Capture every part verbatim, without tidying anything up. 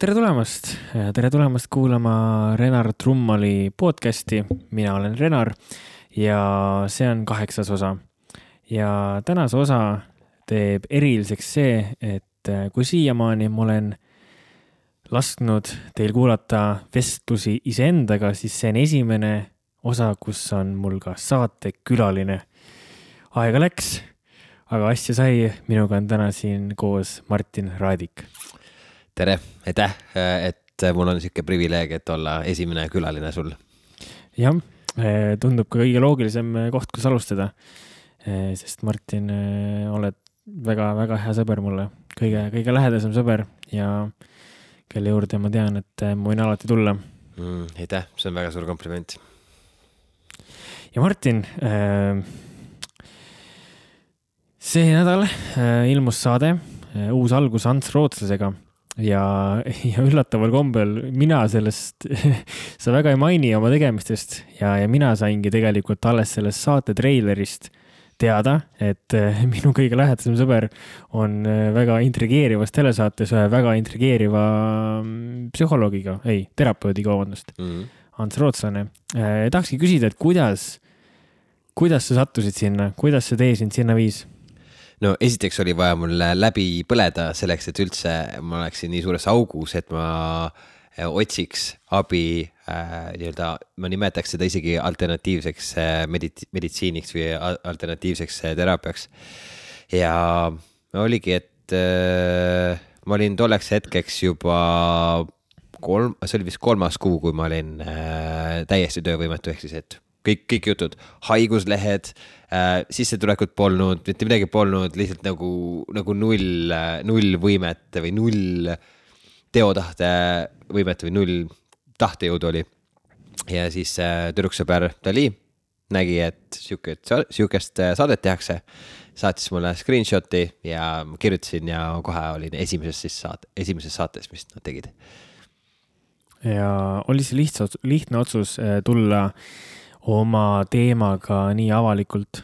tere tulemast, tere tulemast kuulama Renar Trummali podcasti. Mina olen Renar ja see on kaheksas osa. Ja tänase osa teeb eriliseks see, et kui siiamaani ma olen lasknud teil kuulata vestlusi iseendaga, siis see on esimene osa, kus on mul ka saate külaline. Aega läks, aga asja sai. Minuga on täna siin koos Martin Raadik. Tere, aitäh, et mul on siuke privileeg, et olla esimene külaline sul. Jah, tundub ka kõige loogilisem koht, kus alustada, sest Martin, oled väga-väga hea sõber mulle, kõige, kõige lähedasem sõber ja kelle juurde ma tean, et ma võin alati tulla. Mm, aitäh, see on väga suur kompliment. Ja Martin, see nädal ilmus saade, uus algus Ants Rootslasega. Ja, ja üllataval kombel mina sellest, sa väga ei maini oma tegemistest ja, ja mina saingi tegelikult alles sellest saate treilerist teada, et minu kõige lähedasem sõber on väga intrigeerivas telesaates väga intrigeeriva psühholoogiga, ei, terapeudiga vabandust, mm-hmm. Ants Rootslane. Eh, tahakski küsida, et kuidas, kuidas sa sattusid sinna, kuidas see tee sind sinna viis? No esiteks oli vaja mul läbi põleda selleks, et üldse ma oleksin nii suures augus, et ma otsiks abi, äh, nii-öelda, ma nimetaks seda isegi alternatiivseks medit- meditsiiniks või alternatiivseks teraapiaks. Ja oligi, et äh, ma olin tolleks hetkeks juba kolm, see oli vist kolmas kuu, kui ma olin äh, täiesti töövõimetu, ehk siis, et kõik, kõik jutud, haiguslehed, äh, sissetulekut polnud, mitte midagi polnud, lihtsalt nagu, nagu null, null võimet või null teotahte võimet või null tahtejõud oli. Ja siis äh, tüdruksõber Dali nägi, et siuke, siukest saadet tehakse, saatis mulle screenshoti ja kirjutasin ja kohe olin esimeses, siis saate, esimeses saates, mis nad tegid. Ja oli see lihtne, lihtne otsus tulla oma teemaga nii avalikult?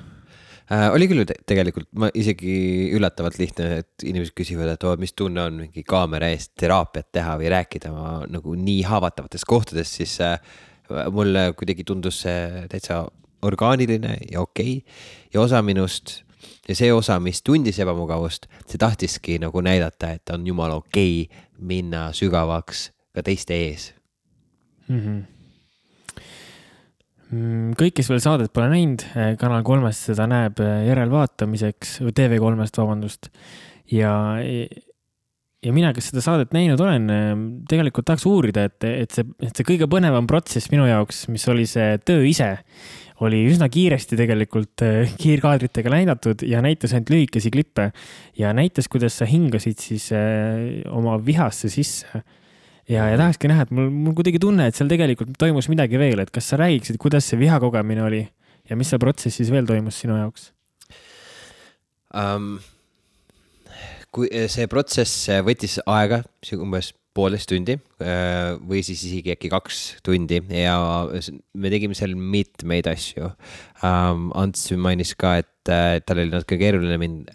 Äh, oli küll tegelikult, ma isegi üllatavalt lihtne, et inimesed küsivad, et oh, mis tunne on mingi kaamera eest teraapiat teha või rääkida ma nagu nii haavatavates kohtades, siis äh, mulle kuidagi tundus see täitsa orgaaniline ja okei. Ja osa minust ja see osa, mis tundis ebamugavust, see tahtiski nagu näidata, et on jumala okei minna sügavaks ka teiste ees. Mhm. Kõik, kes veel saadet pole näinud, Kanal kolmest seda näeb järelvaatamiseks, T V kolmest vabandust. Ja, ja mina, kes seda saadet näinud olen, tegelikult tahaks uurida, et, et, see, et see kõige põnevam protsess minu jaoks, mis oli see töö ise, oli üsna kiiresti tegelikult kiirkaadritega näidatud ja näitas ainult lühikesi klippe ja näitas, kuidas sa hingasid siis oma vihasse sisse. Ja, ja tahakski näha, et mul, mul kuidagi tunne, et seal tegelikult toimus midagi veel, et kas sa räägiksid, kuidas see vihakogemine oli ja mis see protsessis veel toimus sinu jaoks? Um, kui see protsess võttis aega, umbes poolest tundi või siis isegi äkki kaks tundi ja me tegime seal mitmeid asju. Um, Ants mainis ka, et tal oli natuke keeruline mind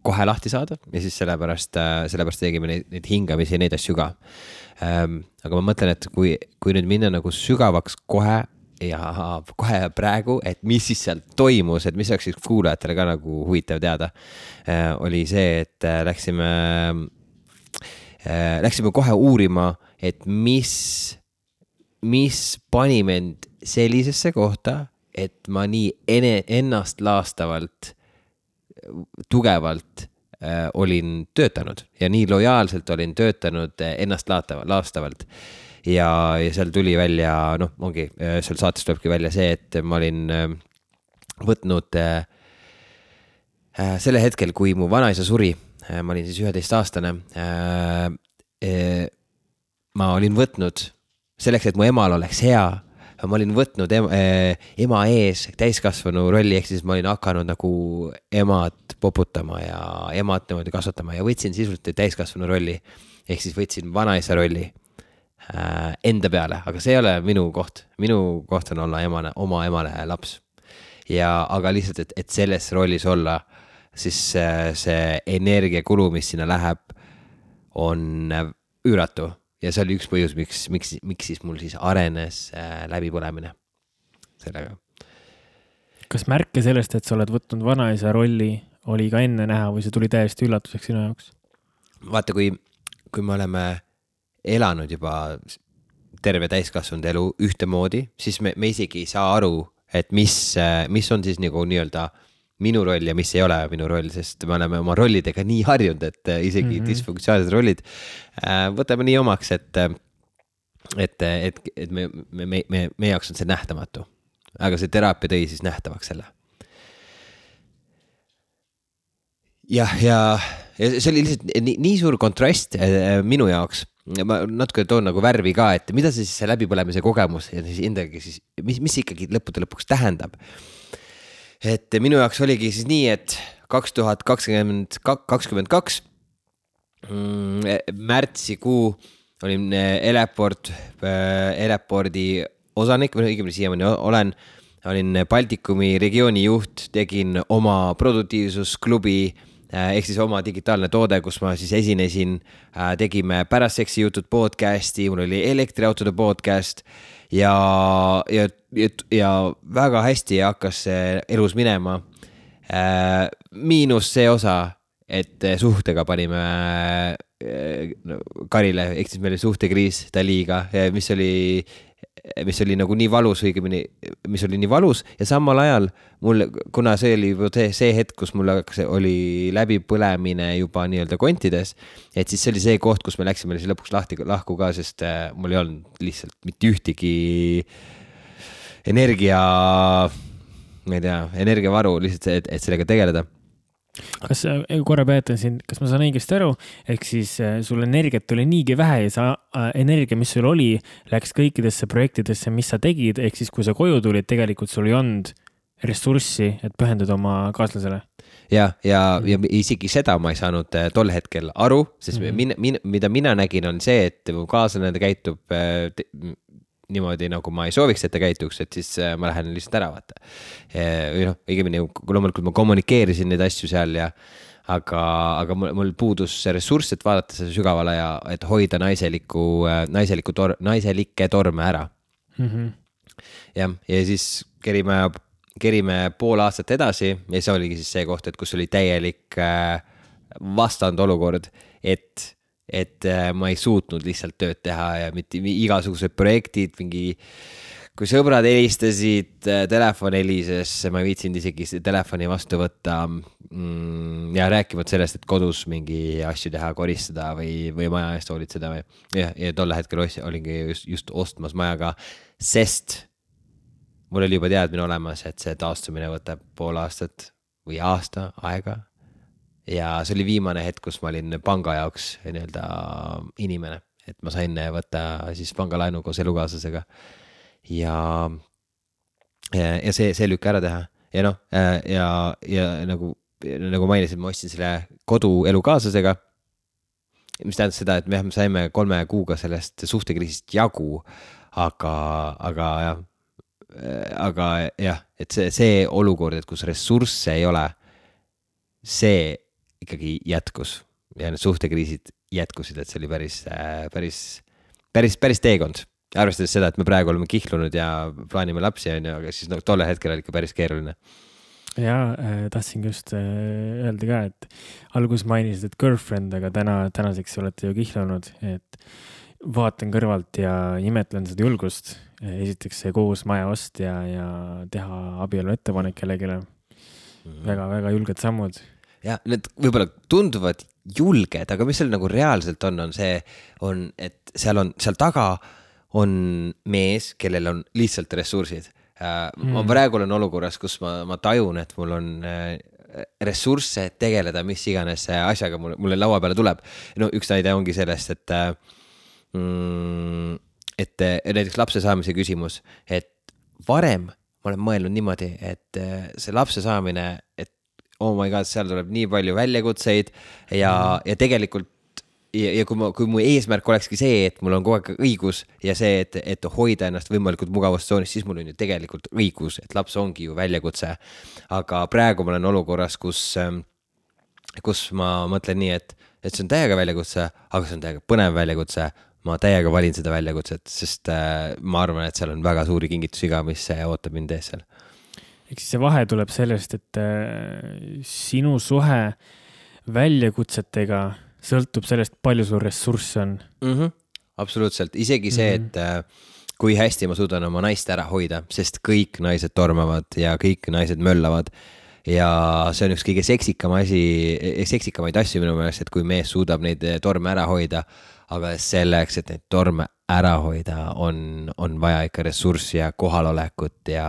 kohe lahti saada ja siis sellepärast, sellepärast tegime neid, neid hingamisi ja neid asju ka. Um, aga ma mõtlen, et kui, kui nüüd minna nagu sügavaks kohe ja kohe praegu, et mis siis seal toimus, et mis oleks siis kuulajatele ka nagu huvitav teada, uh, oli see, et uh, läksime, uh, läksime kohe uurima, et mis, mis pani mind sellisesse kohta, et ma nii ene, ennast laastavalt, tugevalt äh, olin töötanud ja nii lojaalselt olin töötanud ennast laastavalt. Ja, ja seal tuli välja, noh, ongi, seal saates tulebki välja see, et ma olin äh, võtnud äh, selle hetkel, kui mu vanaisa suri, äh, ma olin siis üheteist aastane, äh, äh, ma olin võtnud selleks, et mu emal oleks hea, ma olin võtnud ema, ema ees täiskasvanu rolli, ehk siis ma olin hakanud nagu emad poputama ja emad niimoodi kasvatama ja võtsin sisuliselt täiskasvanu rolli, ehk siis võtsin vanaisa rolli äh, enda peale, aga see ei ole minu koht. Minu koht on olla emane, oma emale laps. Ja, aga lihtsalt, et, et selles rollis olla, siis see energiakulu, mis sinna läheb, on üüratu. ja see oli üks põhjus, miks, miks, miks siis mul siis arenes äh, läbipõlemine sellega. Kas märke sellest, et sa oled võtnud vanaisa rolli, oli ka enne näha või see tuli täiesti üllatuseks sinu jaoks? Vaata, kui, kui me oleme elanud juba terve täiskasvanud elu ühtemoodi, siis me, me isegi ei saa aru, et mis, mis on siis nagu nii-öelda minu roll ja mis ei ole minu roll, sest me oleme oma rollidega nii harjunud, et isegi mm-hmm. disfunktsionaalsed rollid võtame nii omaks, et, et, et, et me, me, me, me, me jaoks on see nähtamatu. Aga see teraapia tõi siis nähtavaks selle. Jah, ja, ja see oli lihtsalt nii, nii suur kontrast minu jaoks. Ma natuke toon nagu värvi ka, et mida see siis see läbipõlemise kogemus ja siis endagi siis, mis, mis ikkagi lõppude lõpuks tähendab. Et minu jaoks oligi siis nii, et kaks tuhat kakskümmend kaks märtsikuu olin Eleport, Elepordi osanik, või õigemini siiamaani olen, olin Baltikumi regiooni juht, tegin oma produktiivsusklubi, ehk siis oma digitaalne toode, kus ma siis esinesin, tegime pärast seksi jutud podcasti, mul oli elektriautode podcast ja, ja, ja, ja väga hästi hakkas elus minema. Miinus see osa, et suhtega panime karile, ehk siis meil oli suhtekriis Daliga, mis oli mis oli nagu nii valus, õigemini, mis oli nii valus ja samal ajal mul, kuna see oli see, see hetk, kus mul oli läbipõlemine juba nii-öelda kontides, et siis see oli see koht, kus me läksime siis lõpuks lahti, lahku ka, sest mul ei olnud lihtsalt mitte ühtegi energia, ma ei tea, energiavaru lihtsalt, et, et sellega tegeleda. Kas korra peetan siin, kas ma saan õigesti aru, ehk siis sul energiat oli niigi vähe ja sa energia, mis sul oli, läks kõikidesse projektidesse, mis sa tegid, ehk siis kui sa koju tulid, tegelikult sul ei olnud ressurssi, et pühendada oma kaaslasele? Ja, ja, ja isegi seda ma ei saanud tol hetkel aru, sest mm-hmm. min, min, mida mina nägin on see, et mu kaaslane käitub te, niimoodi, nagu ma ei sooviks, et ta käituks, et siis ma lähen lihtsalt ära vaata. Või noh, õigemini, loomulikult ma kommunikeerisin neid asju seal ja aga, aga mul, mul puudus see ressurss, et vaadata seda sügavale ja et hoida naiseliku, naiseliku tor, naiselikke torme ära. Mm-hmm. Ja, ja siis kerime, kerime pool aastat edasi ja see oligi siis see koht, et kus oli täielik vastand olukord, et et ma ei suutnud lihtsalt tööd teha ja mitte igasugused projektid, mingi, kui sõbrad helistasid, telefon helises, ma ei viitsinud isegi telefoni vastu võtta ja rääkimata sellest, et kodus mingi asju teha, koristada või, või maja eest hoolitseda või ja, ja tolle hetkel olingi just, just ostmas majaga, sest mul oli juba teadmine olemas, et see taastumine võtab pool aastat või aasta aega. Ja see oli viimane hetk, kus ma olin panga jaoks nii-öelda inimene, et ma sain võtta siis pangalainu koos elukaaslasega ja, ja see, see lükka ära teha ja noh, ja, ja nagu, nagu mainisin, ma ostsin selle kodu elukaaslasega, mis tähendab seda, et me saime kolme kuuga sellest suhtekriisist jagu, aga, aga jah, aga jah, et see, see olukord, et kus ressursse ei ole, see ikkagi jätkus ja need suhtekriisid jätkusid, et see oli päris, päris, päris, päris teekond. Arvestades seda, et me praegu oleme kihlunud ja plaanime lapsi, aga siis no, tolle hetkel oli ikka päris keeruline. Ja tahtsin just öelda ka, et alguses mainisid, et girlfriend, aga täna, tänaseks olete ju kihlunud, et vaatan kõrvalt ja imetlen seda julgust. Esiteks see koos maja ost ja, ja teha abielu ettepanek kellegile. Mm-hmm. Väga, väga julged sammud. Ja need võib-olla tunduvad julged, aga mis seal nagu reaalselt on, on see, on, et seal on, seal taga on mees, kellel on lihtsalt ressursid. Mm. Ma praegu olen olukorras, kus ma, ma tajun, et mul on ressursse tegeleda, mis iganes asjaga mulle, mulle laua peale tuleb. No üks näide ongi sellest, et, mm, et näiteks lapse saamise küsimus, et varem ma olen mõelnud niimoodi, et see lapse saamine, et oh my god, seal tuleb nii palju väljakutseid ja, ja tegelikult ja, ja kui, ma, kui mu eesmärk olekski see, et mul on kogu aeg õigus ja see, et, et hoida ennast võimalikult mugavustsoonis, siis mul on ju tegelikult õigus, et laps ongi ju väljakutse. Aga praegu ma olen olukorras, kus, kus ma mõtlen nii, et, et see on täiega väljakutse, aga see on täiega põnev väljakutse. ma täiega valin seda väljakutset, sest äh, ma arvan, et seal on väga suuri kingitusi ka, mis ootab mind ees seal. Eks see vahe tuleb sellest, et äh, sinu suhe väljakutsetega sõltub sellest, palju sul ressursse on. Mm-hmm. Absoluutselt, isegi see, mm-hmm. et äh, kui hästi ma suudan oma naist ära hoida, sest kõik naised tormavad ja kõik naised möllavad ja see on üks kõige seksikam asi, seksikamaid asju minu meelest, et kui mees suudab neid torme ära hoida, aga selleks, et neid torme ära hoida, on, on vaja ikka ressurssi ja kohalolekut ja,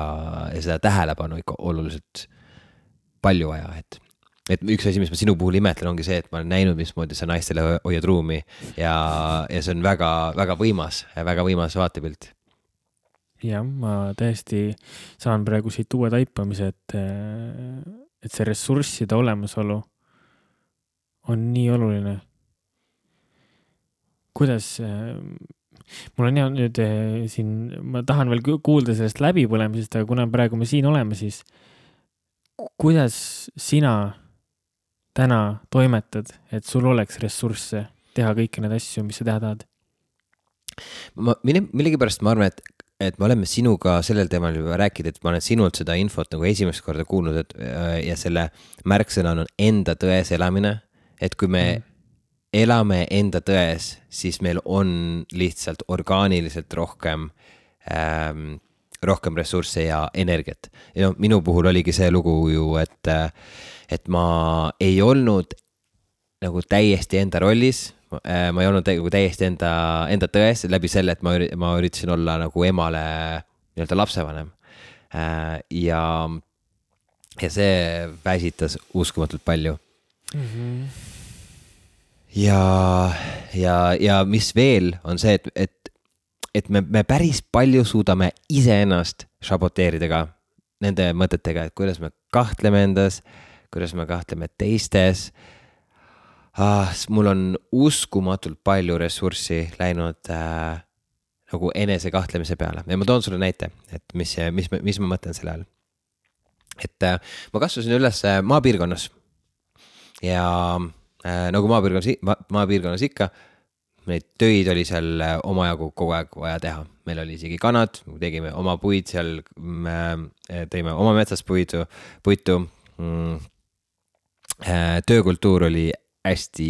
ja seda tähelepanu ikka oluliselt palju vaja, et et üks asi, mis ma sinu puhul imetlen, ongi see, et ma olen näinud, mismoodi sa naistele hoiad ruumi ja, ja see on väga, väga võimas, väga võimas vaatepilt. Jah, ma täiesti saan praegu siit uue taipamise, et, et see ressursside olemasolu on nii oluline. Kuidas, mul on hea nüüd siin, ma tahan veel kuulda sellest läbipõlemisest, aga kuna praegu me siin oleme, siis kuidas sina täna toimetad, et sul oleks ressursse teha kõiki need asju, mis sa teha tahad? Ma, millegipärast ma arvan, et, et me oleme sinuga sellel teemal juba rääkida, et ma olen sinult seda infot nagu esimest korda kuulnud, et, ja selle märksõna on enda tões elamine, et kui me mm. elame enda tões, siis meil on lihtsalt orgaaniliselt rohkem ähm, rohkem ressursse ja energiat. Ja no, minu puhul oligi see lugu ju, et et ma ei olnud nagu täiesti enda rollis, ma ei olnud täiesti enda, enda tões läbi selle, et ma, ma üritasin olla nagu emale nii-öelda lapsevanem. Ja, ja see väsitas uskumatult palju. Mm-hmm. Ja, ja, ja mis veel on see, et, et, et me, me päris palju suudame iseennast saboteerida ka nende mõtetega, et kuidas me kahtleme endas, kuidas me kahtleme teistes. Ah, mul on uskumatult palju ressurssi läinud äh, nagu enese kahtlemise peale. Ja ma toon sulle näite, et mis, mis, mis ma mõtlen selle all. Et äh, ma kasvasin üles maapiirkonnas ja äh, nagu maapiirkonnas, ma, maapiirkonnas ikka, neid töid oli seal omajagu kogu aeg vaja teha. Meil oli isegi kanad, tegime oma puid seal, me tõime oma metsast puidu, puitu. Mm. Töökultuur oli hästi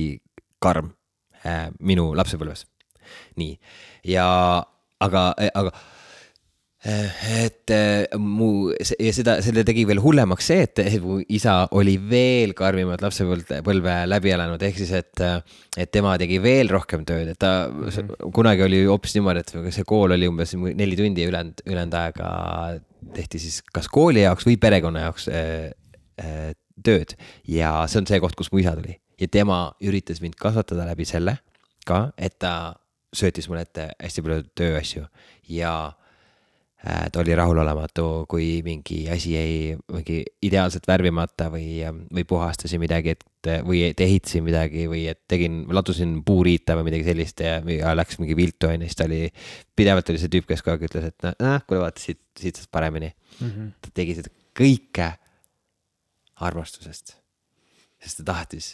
karm minu lapsepõlves. Nii. Ja, aga, aga et mu, ja seda, selle tegi veel hullemaks see, et mu isa oli veel karmimad lapsepõlve läbi elanud, ehk siis, et, et tema tegi veel rohkem tööd, et ta mm-hmm. kunagi oli hoopis niimoodi, et see kool oli umbes neli tundi ja ülend, ülend aega tehti siis kas kooli jaoks või perekonna jaoks äh, äh, tööd ja see on see koht, kus mu isa tuli ja tema üritas mind kasvatada läbi selle ka, et ta söötis mulle ette hästi palju tööasju ja ta oli rahulolematu, kui mingi asi jäi mingi ideaalselt värvimata või, või puhastasin midagi, et, või ehitasin midagi või et tegin, ladusin puuriita või midagi sellist ja, ja läks mingi viltu enne, siis ta oli, pidevalt oli see tüüp, kes kogu aeg ütles, et noh, kuule vaata, siit, siit saad paremini. Mm-hmm. Ta tegi seda kõike armastusest, sest ta tahtis,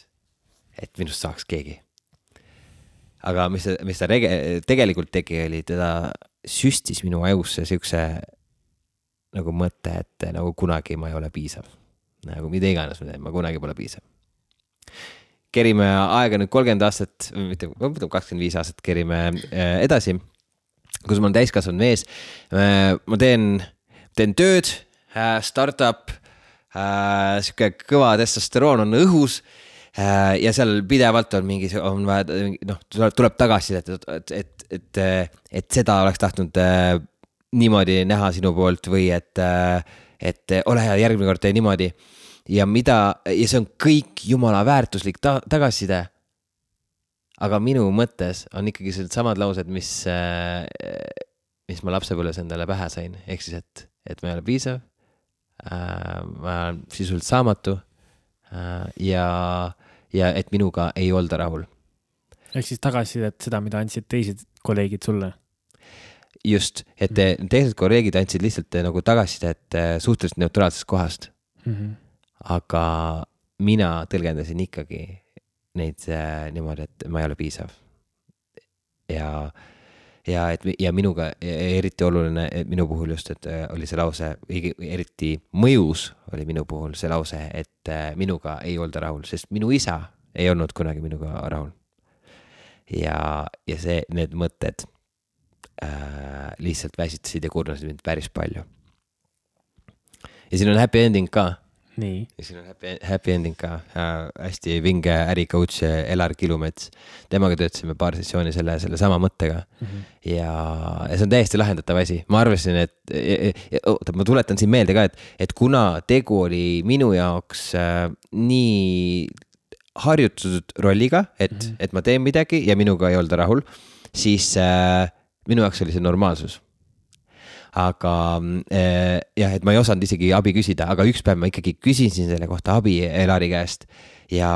et minust saaks keegi. Aga mis ta, mis ta rege, tegelikult tegi, oli teda süstis minu ajusse siukse nagu mõte, et nagu kunagi ma ei ole piisav. Nagu mida iganes ma teen, ma kunagi pole piisav. Kerime aega nüüd kolmkümmend aastat, mitte kakskümmend viis aastat kerime edasi, kus ma olen täiskasvanud mees. Ma teen, teen tööd, startup, siuke kõva testosteroon on õhus ja seal pidevalt on mingi, on vaja, noh, tuleb tagasi, et, et, et, et, et seda oleks tahtnud niimoodi näha sinu poolt või et, et ole hea, järgmine kord tee niimoodi ja mida, ja see on kõik jumala väärtuslik ta, tagasiside. Aga minu mõttes on ikkagi sellised samad laused, mis, mis ma lapsepõlves endale pähe sain, ehk siis, et, et ma ei ole piisav, ma olen sisuliselt saamatu ja ja et minuga ei olda rahul. Ehk siis tagasisidet seda, mida andsid teised kolleegid sulle? Just, et mm-hmm. teised kolleegid andsid lihtsalt nagu tagasisidet suhteliselt neutraalsest kohast. Mm-hmm. Aga mina tõlgendasin ikkagi neid niimoodi, et ma ei ole piisav. ja, ja et ja minuga eriti oluline minu puhul just, et oli see lause, eriti mõjus oli minu puhul see lause, et minuga ei olda rahul, sest minu isa ei olnud kunagi minuga rahul. Ja, ja see, need mõtted äh, lihtsalt väsitasid ja kurnasid mind päris palju. Ja siin on happy ending ka. Nii. Ja siin on happy, happy ending ka. Äh, hästi vinge äricoach Elar Kilumets. Temaga töötasime paar sessiooni selle, selle sama mõttega. Mm-hmm. Ja, ja see on täiesti lahendatav asi. Ma arvasin, et ja, ja, oota, ma tuletan siin meelde ka, et, et kuna tegu oli minu jaoks äh, nii harjutatud rolliga, et, mm-hmm. et ma teen midagi ja minuga ei olda rahul, siis äh, minu jaoks oli see normaalsus. Aga äh, jah, et ma ei osanud isegi abi küsida, aga üks päev ma ikkagi küsisin selle kohta abi Elari käest ja,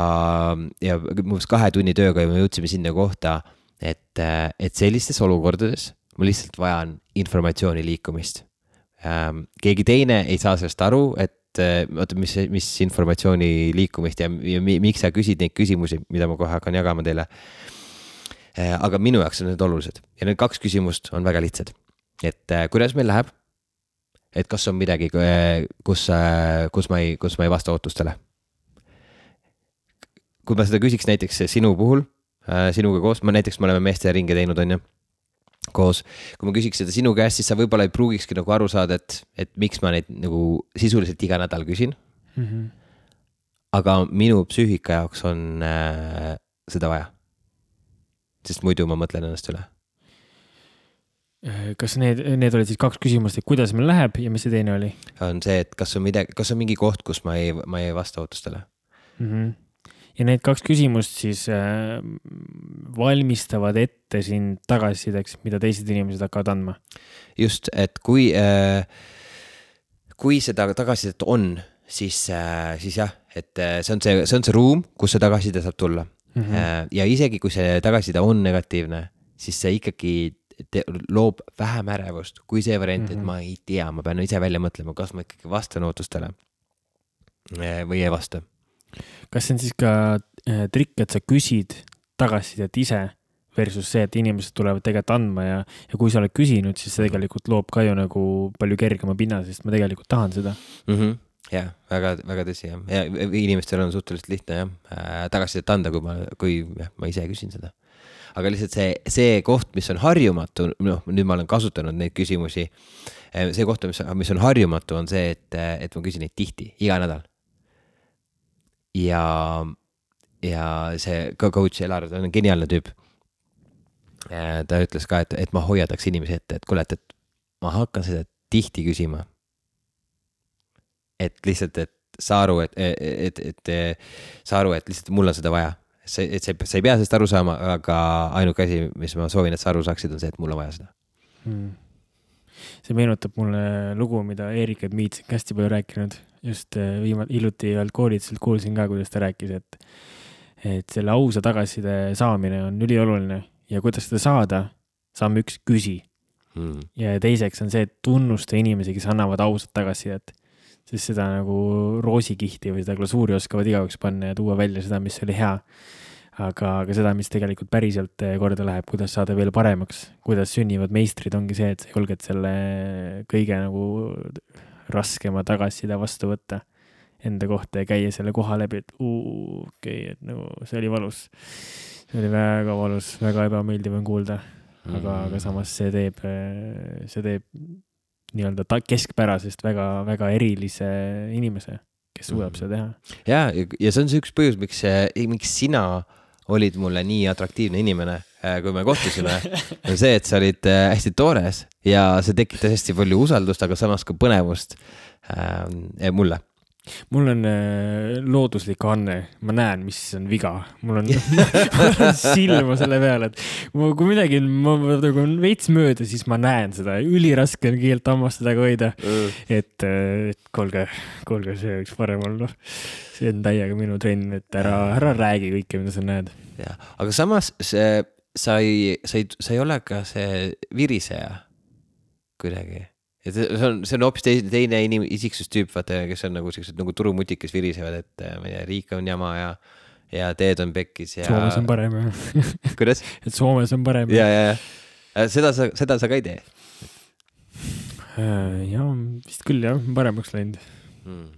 ja muuseas kahe tunni tööga me jõudsime sinna kohta, et, et sellistes olukordades ma lihtsalt vajan informatsiooni liikumist. Ähm, keegi teine ei saa sellest aru, et oota, mis, mis informatsiooni liikumist ja, ja miks sa küsid neid küsimusi, mida ma kohe hakkan jagama teile. Äh, aga minu jaoks on need olulised ja need kaks küsimust on väga lihtsad. Et äh, kuidas meil läheb, et kas on midagi, kus, äh, kus, ma ei, kus ma ei vasta ootustele. Kui ma seda küsiks näiteks sinu puhul, äh, sinuga koos, ma näiteks me oleme meeste ringe teinud on ju, koos, kui ma küsiks seda sinu käest, siis sa võib-olla ei pruugikski nagu aru saada, et, et miks ma neid nagu sisuliselt iga nädal küsin. Mm-hmm. Aga minu psüühika jaoks on äh, seda vaja. Sest muidu ma mõtlen ennast üle. Kas need, need olid siis kaks küsimust, et kuidas meil läheb ja mis see teine oli? On see, et kas on, midagi, kas on mingi koht, kus ma ei, ma ei vasta ootustele. Mm-hmm. Ja need kaks küsimust siis äh, valmistavad ette siin tagasisideks, mida teised inimesed hakkavad andma. Just, et kui, äh, kui seda tagasisidet on, siis, äh, siis jah, et see on see, see on see ruum, kus see tagasiside saab tulla. Mm-hmm. Äh, ja isegi kui see tagasiside on negatiivne, siis see ikkagi te, loob vähem ärevust kui see variant, mm-hmm. et ma ei tea, ma pean ise välja mõtlema, kas ma ikkagi vastan ootustele äh, või ei vasta. Kas see on siis ka äh, trikk, et sa küsid tagasisidet ise versus see, et inimesed tulevad tegelikult andma ja, ja kui sa oled küsinud, siis see tegelikult loob ka ju nagu palju kergema pinna, sest ma tegelikult tahan seda. Mm-hmm. Jah, väga, väga tõsi jah. Ja inimestel on suhteliselt lihtne jah, äh, tagasisidet anda, kui ma, kui jah, ma ise küsin seda. Aga lihtsalt see, see koht, mis on harjumatu, noh, nüüd ma olen kasutanud neid küsimusi, see koht, mis, mis on harjumatu, on see, et, et ma küsin neid tihti, iga nädal. Ja, ja see coach Elar on geniaalne tüüp. Ta ütles ka, et, et ma hoiadaks inimesi ette, et kuule, et, et ma hakkan seda tihti küsima. Et lihtsalt, et sa aru, et, et, et, et sa aru, et lihtsalt mul on seda vaja. See, et sa, sa ei pea sellest aru saama, aga ainuke asi, mis ma soovin, et sa aru saaksid, on see, et mul on vaja seda. Hmm. See meenutab mulle lugu, mida Erik Edmiitsik hästi palju rääkinud. Just viimalt hiljuti ühelt koolitselt kuulsin ka, kuidas ta rääkis, et, et selle ausa tagasiside saamine on ülioluline ja kuidas seda saada, saame üks küsi. Hmm. Ja teiseks on see, et tunnusta inimesi, kes annavad ausat tagasisidet. Sest seda nagu roosikihti või seda glasuuri oskavad igaüks panna ja tuua välja seda, mis oli hea. Aga, aga seda, mis tegelikult päriselt korda läheb, kuidas saada veel paremaks, kuidas sünnivad meistrid, ongi see, et sa julged selle kõige nagu raskema tagasiside vastu võtta enda kohta ja käia selle koha läbi, et uu, okei, okay, et nagu see oli valus. See oli väga valus, väga ebameeldiv on kuulda, aga, mm. aga samas see teeb, see teeb nii-öelda ta keskpärasest väga, väga erilise inimese, kes suudab mm. seda teha. Ja, ja see on see üks põhjus, miks, miks sina olid mulle nii atraktiivne inimene, kui me kohtusime, on see, et sa olid hästi toores ja see tekitas hästi palju usaldust, aga samas ka põnevust äh, mulle. Mul on looduslik anne, ma näen, mis on viga. Mul on, mul on silma selle peale, et kui midagi ma, kui on veits mööda, siis ma näen seda. Üliraske on keelt hammastada ka hoida. Mm. Et, et kolge, kolge, see võiks parem olla. See on täiega minu trenn, et ära, ära räägi kõike, mida sa näed. Ja, aga samas see, sa, ei, sa, ei, sa ei ole ka see viriseja kuidagi. Et see on, see on hoopis teine, teine inim, isiksustüüp, vaata, kes on nagu, sellised, nagu turumutik, kes virisevad, et ma ei tea, riik on jama ja, ja teed on pekkis ja. Soomes on parem. Kuidas? Et Soomes on parem. Ja, ja, ja. Seda sa, seda sa ka ei tee? Ja, vist küll jah, paremaks läinud. Hmm.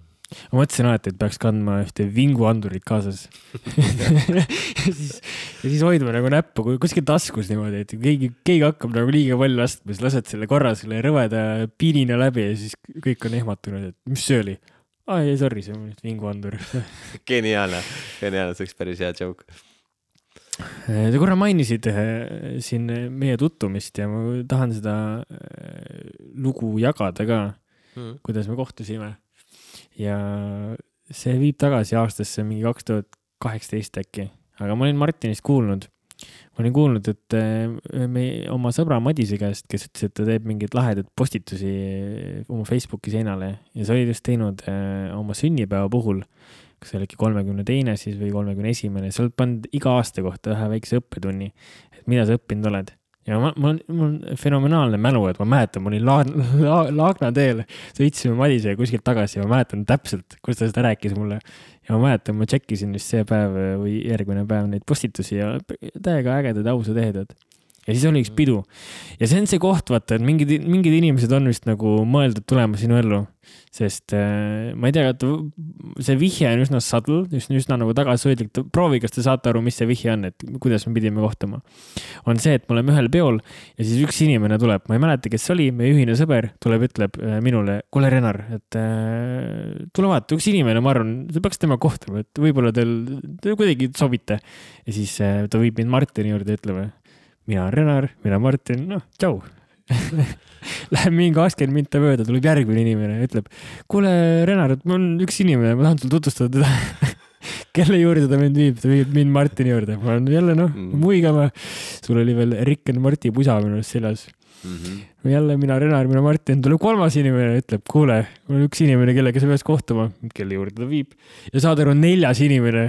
Ma mõtlesin alati, et peaks kandma ühte vinguandurit kaasas. ja, siis, ja siis hoidma nagu näppu kuskil taskus niimoodi, et keegi, keegi hakkab nagu liiga palju lastma, siis lased selle korra selle rõveda piinina läbi ja siis kõik on ehmatunud, et mis see oli? Ah, ei, sorry, see on vinguandur. Geniaalne, geniaalne, see oleks päris hea joke. Te korra mainisid siin meie tuttumist ja ma tahan seda lugu jagada ka, hmm. kuidas me kohtusime. Ja see viib tagasi aastasse mingi kaks tuhat kaheksateist äkki, aga ma olin Martinist kuulnud. Ma olin kuulnud, et me oma sõbra Madise käest, kes ütles, et ta teeb mingid lahedad postitusi oma Facebooki seinale ja sa olid just teinud oma sünnipäeva puhul, kas see oli kolmekümne teine siis või kolmekümne esimene, sa oled pannud iga aasta kohta ühe väikse õppetunni, et mida sa õppinud oled. Ja ma, ma, mul on fenomenaalne mälu, et ma mäletan, ma olin la, la, Laagna teel, sõitsime Madise kuskilt tagasi ja ma mäletan täpselt, kus ta seda rääkis mulle. Ja ma mäletan, ma tšekkisin vist see päev või järgmine päev neid postitusi ja täiega ägedad ausad ehedad. Ja siis oli üks pidu. Ja see on see koht, vaata, et mingid, mingid inimesed on vist nagu mõeldud tulema sinu ellu. Sest äh, ma ei tea, et see vihje on üsna subtle, üsna, üsna nagu tagasihoidlik. Proovi, kas te saate aru, mis see vihje on, et kuidas me pidime kohtuma. On see, et me oleme ühel peol ja siis üks inimene tuleb, ma ei mäleta, kes oli, meie ühine sõber tuleb, ütleb minule, kuule Renar, et äh, tule vaata, üks inimene, ma arvan, te peaks tema kohtuma, et võib-olla teil te kuidagi sobite. Ja siis äh, ta viib mind Martini juurde, ütleme, mina Renar, mina Martin, noh, tšau. Läheb mingi kakskümmend minta mööda, tuleb järgmine inimene ja ütleb, kuule Renar, et mul on üks inimene, ma tahan sul tutvustada teda. Kelle juurde ta mind viib, ta viib mind Martini juurde. Ma olen jälle, noh, muigama. Sul oli veel Rick and Marti pusa minust seljas. Mm-hmm. Jälle mina Renar, mina Martin, tuleb kolmas inimene ja ütleb, kuule, mul on üks inimene, kellega sa peaks kohtuma, kelle juurde ta viib. Ja saad aru, neljas inimene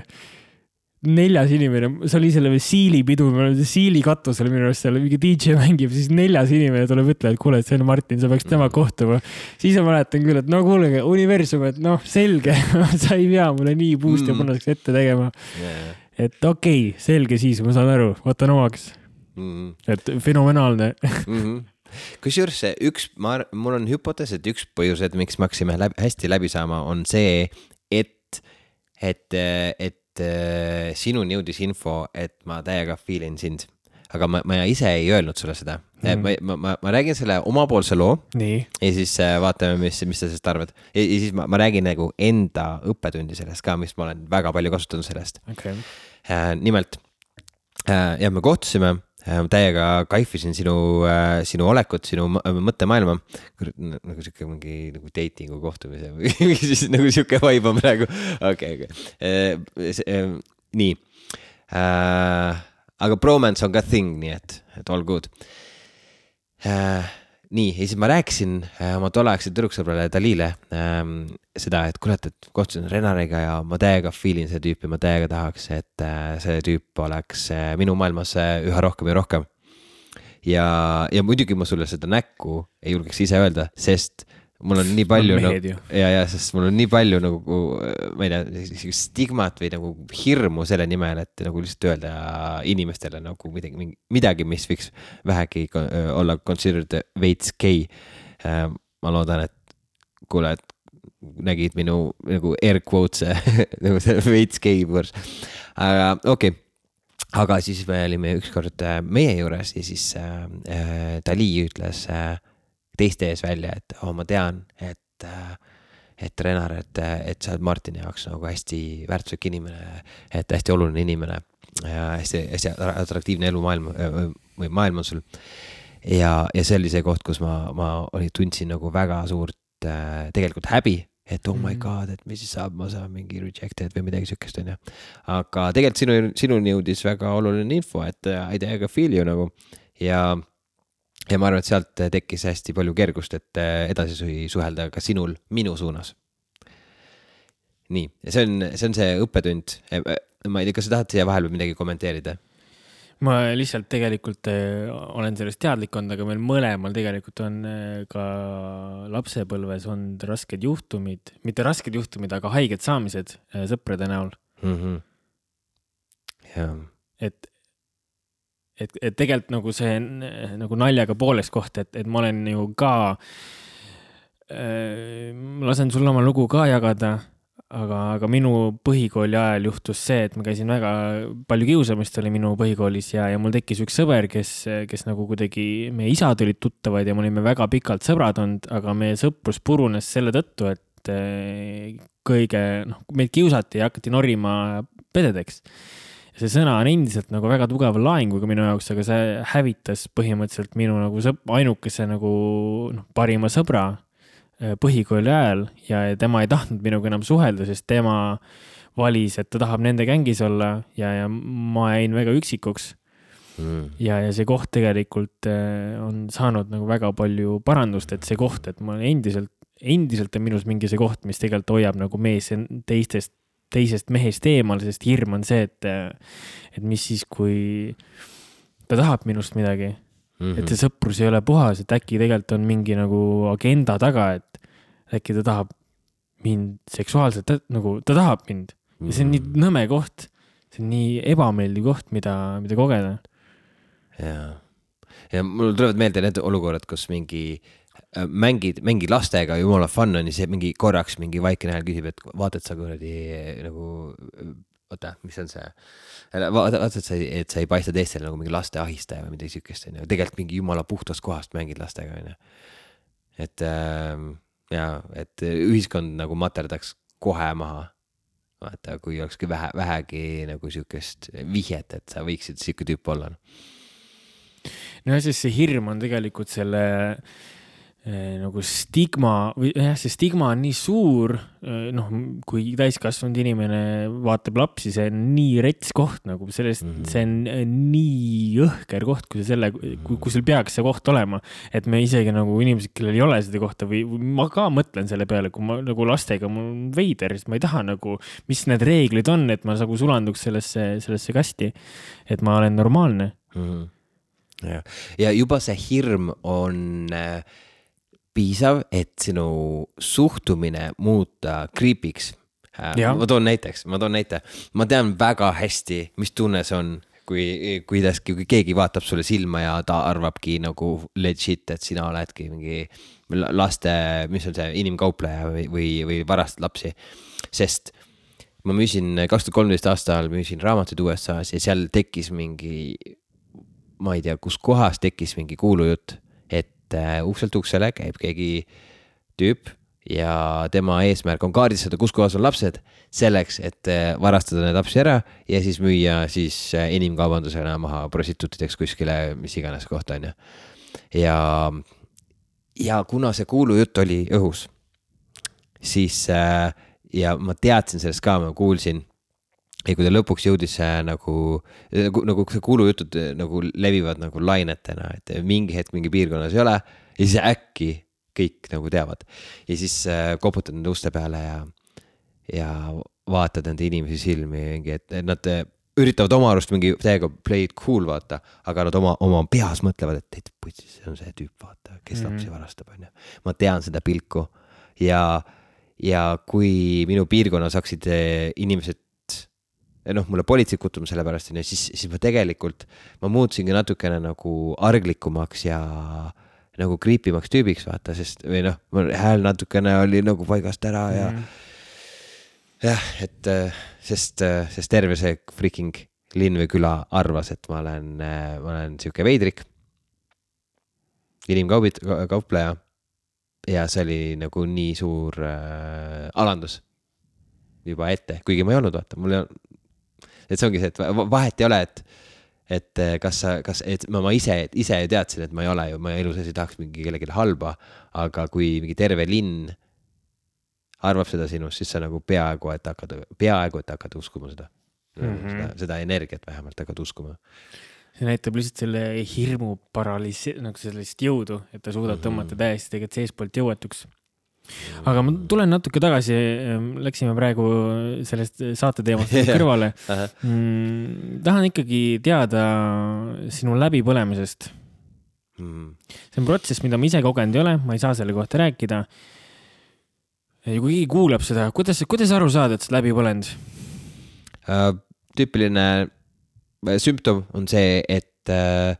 neljas inimene, see oli selle Siili pidu, Siili katus oli minu arust seal, mingi D J mängib, siis neljas inimene tuleb ütle, et kuule, et see on Martin, sa peaks tema kohtuma. Siis ma mäletan küll, et no kuulege, universum, et noh, selge, sa ei pea mulle nii puust ja punaseks ette tegema. Yeah. Et okei, okay, selge siis, ma saan aru, võtan omaks. Mm-hmm. Et fenomenaalne. Mm-hmm. Kusjuures üks, ma, mul on hüpotees, et üks põhjus, et miks me haksime läbi, hästi läbi saama, on see, et, et, et sinuni jõudis info, et ma täiega feelin sind. Aga ma, ma ise ei öelnud sulle seda. Mm. Ma, ma, ma räägin selle omapoolse loo. Nii. Ja siis vaatame, mis, mis sa sellest arvad. Ja, ja siis ma, ma räägin nagu enda õppetundi sellest ka, mis ma olen väga palju kasutanud sellest. Okay. Äh, nimelt, äh, ja me kohtusime, äh, täiega kaifisin sinu, äh, sinu olekut, sinu mõttemaailma. Nagu siuke mingi nagu datingu kohtumise või siis nagu siuke vibe on praegu. Okei, okay, okei. Okay. Äh, nii. Äh, aga bromance on ka thing, nii et, et all good. Äh, nii, ja siis ma rääkisin äh, oma tolleaegse tüdruksõbrale Dalile äh, seda, et kurat, et kohtusin Renariga ja ma täiega feelin see tüüpi, ma täiega tahaks, et äh, see tüüp oleks äh, minu maailmas äh, üha rohkem ja rohkem. Ja, ja muidugi ma sulle seda näkku ei julgeks ise öelda, sest mul on nii palju nagu, ja, ja, sest mul on nii palju nagu, ma ei tea, stigmat või nagu hirmu selle nimel, et nagu lihtsalt öelda inimestele nagu midagi, midagi, mis võiks vähegi olla considered veits gay. Ma loodan, et kuule, et nägid minu nagu air quotes nagu see veits gay võrs. Aga okei. Okay. Aga siis me olime ükskord meie juures ja siis äh, Dali ütles äh, teiste ees välja, et oh, ma tean, et, et Renar, et, et sa oled Martini jaoks nagu hästi väärtuslik inimene, et hästi oluline inimene ja hästi, hästi atraktiivne elu maailm, või maailm on sul. Ja, ja see oli see koht, kus ma, ma oli, tundsin nagu väga suurt äh, tegelikult häbi, et oh my god, et mis siis saab, ma saan mingi rejected või midagi sükest on ja. Aga tegelikult sinu, sinuni jõudis väga oluline info, et I täiega feel you nagu ja Ja ma arvan, et sealt tekkis hästi palju kergust, et edasi suhelda ka sinul minu suunas. Nii, see on see, on see õppetund. Ma ei tea, kas sa tahad siia vahel või midagi kommenteerida? Ma lihtsalt tegelikult olen sellest teadlikond, aga meil mõlemal tegelikult on ka lapsepõlves on rasked juhtumid, mitte rasked juhtumid, aga haiged saamised sõprade näol. Mm-hmm. et, et, et tegelikult nagu see nagu naljaga poolest koht, et, et ma olen ju ka äh, lasen sulle oma lugu ka jagada, aga, aga minu põhikooli ajal juhtus see, et ma käisin väga palju kiusamist oli minu põhikoolis ja, ja mul tekkis üks sõber, kes, kes nagu kuidagi, meie isad olid tuttavad ja me olime väga pikalt sõbrad olnud, aga meie sõprus purunes selle tõttu, et kõige, noh, meid kiusati ja hakati norima pededeks. See sõna on endiselt nagu väga tugeva laenguga minu jaoks, aga see hävitas põhimõtteliselt minu nagu sõp, ainukese nagu noh, parima sõbra põhikooli ajal ja tema ei tahtnud minuga enam suhelda, sest tema valis, et ta tahab nende gängis olla ja, ja ma jäin väga üksikuks. Mm. Ja, ja see koht tegelikult on saanud nagu väga palju parandust, et see koht, et ma endiselt, endiselt on minus mingi see koht, mis tegelikult hoiab nagu mees teistest, teisest mehest eemal, sest hirm on see, et, et mis siis, kui ta tahab minust midagi. Mm-hmm. Et see sõprus ei ole puhas, et äkki tegelikult on mingi nagu agenda taga, et äkki ta tahab mind seksuaalselt, nagu ta tahab mind. Ja see on nii nõme koht, see on nii ebameeldiv koht, mida, mida kogeda. Ja. ja mul tulevad meelde need olukorrad, kus mingi mängid, mingi lastega jumala fun on ja see mingi korraks mingi vaikene hääl küsib, et vaatad sa kuradi nagu oota, mis on see vaata, et sa, et sa ei paista teistele nagu mingi laste ahistaja või midagi sükest, tegelikult mingi jumala puhtast kohast mängid lastega, et äh, ja, et ühiskond nagu materdaks kohe maha, vaata, kui olekski vähe, vähegi nagu sükest vihjet, et sa võiksid siuke tüüp olla. No ja siis see hirm on tegelikult selle nagu stigma või jah, see stigma on nii suur, noh, kui täiskasvanud inimene vaatab lapsi, see on nii rets koht, nagu sellest, mm-hmm. see on nii õhker koht, kui, selle, kui, kui sul peaks see koht olema, et me isegi nagu inimesed, kellel ei ole seda kohta või, või ma ka mõtlen selle peale, kui ma nagu lastega mul on veider, sest ma ei taha nagu, mis need reeglid on, et ma nagu sulanduks sellesse, sellesse kasti, et ma olen normaalne. Mm-hmm. Ja. ja juba see hirm on äh, piisav, et sinu suhtumine muuta creepiks. Ma toon näiteks, ma toon näite. Ma tean väga hästi, mis tunne see on, kui, kuidas, kui keegi vaatab sulle silma ja ta arvabki nagu legit, et sina oledki mingi laste, mis on see, inimkaupleja või, või, või varast lapsi. Sest ma müüsin kaks tuhat kolmteist aastal, müüsin raamatuid U S A-s ja seal tekkis mingi, ma ei tea, kus kohas tekkis mingi kuulujutt, ukselt uksele käib keegi tüüp ja tema eesmärk on kaardistada, kus kohas on lapsed selleks, et varastada need lapsi ära ja siis müüa siis inimkaubandusena maha prostituutideks kuskile, mis iganes kohta on. Ja, ja kuna see kuulujutt oli õhus, siis ja ma teadsin sellest ka, ma kuulsin ja kui ta lõpuks jõudis nagu, nagu, nagu see kuulujutud nagu levivad nagu lainetena, et mingi hetk mingi piirkonnas ei ole ja siis äkki kõik nagu teavad. Ja siis koputad nende uste peale ja, ja vaatad nende inimesi silmi, et nad üritavad oma arust mingi täiega play it cool vaata, aga nad oma, oma peas mõtlevad, et teit putsis, see on see tüüp vaata, kes mm-hmm. lapsi varastab. On. Ma tean seda pilku ja, ja kui minu piirkonnas haksid inimesed noh, mulle politsei kutuma selle pärast, ja siis, siis ma tegelikult, ma muutusingi natukene nagu arglikumaks ja nagu kriipimaks tüübiks, vaata, sest või noh, hääl natukene oli nagu paigast ära ja mm. jah, et sest, sest terve see freaking linn või küla arvas, et ma olen, ma olen siuke veidrik, inimkaubit, kaupleja ja see oli nagu nii suur äh, alandus juba ette, kuigi ma ei olnud, vaata, mul ei olnud et see ongi see, et vahet ei ole, et, et kas, kas et ma, ma ise, ise teadsin, et ma ei ole ju, ma elus ei tahaks mingi kellelegi halba, aga kui mingi terve linn arvab seda sinust, siis sa nagu peaaegu, et hakkad, peaaegu, et hakkad uskuma seda, mm-hmm. seda, seda energiat vähemalt hakkad uskuma. See näitab lihtsalt selle hirmu paralisi, nagu sellist jõudu, et ta suudab mm-hmm. tõmmata täiesti tegelikult seespoolt jõuetuks. Aga ma tulen natuke tagasi, läksime praegu sellest saate teemast kõrvale. mm, tahan ikkagi teada sinu läbipõlemisest. Mm. See on protsess, mida ma ise kogenud ei ole, ma ei saa selle kohta rääkida. Ja kui keegi kuulab seda, kuidas, kuidas aru saada, et sa läbi põlend? Uh, tüüpiline sümptom on see, et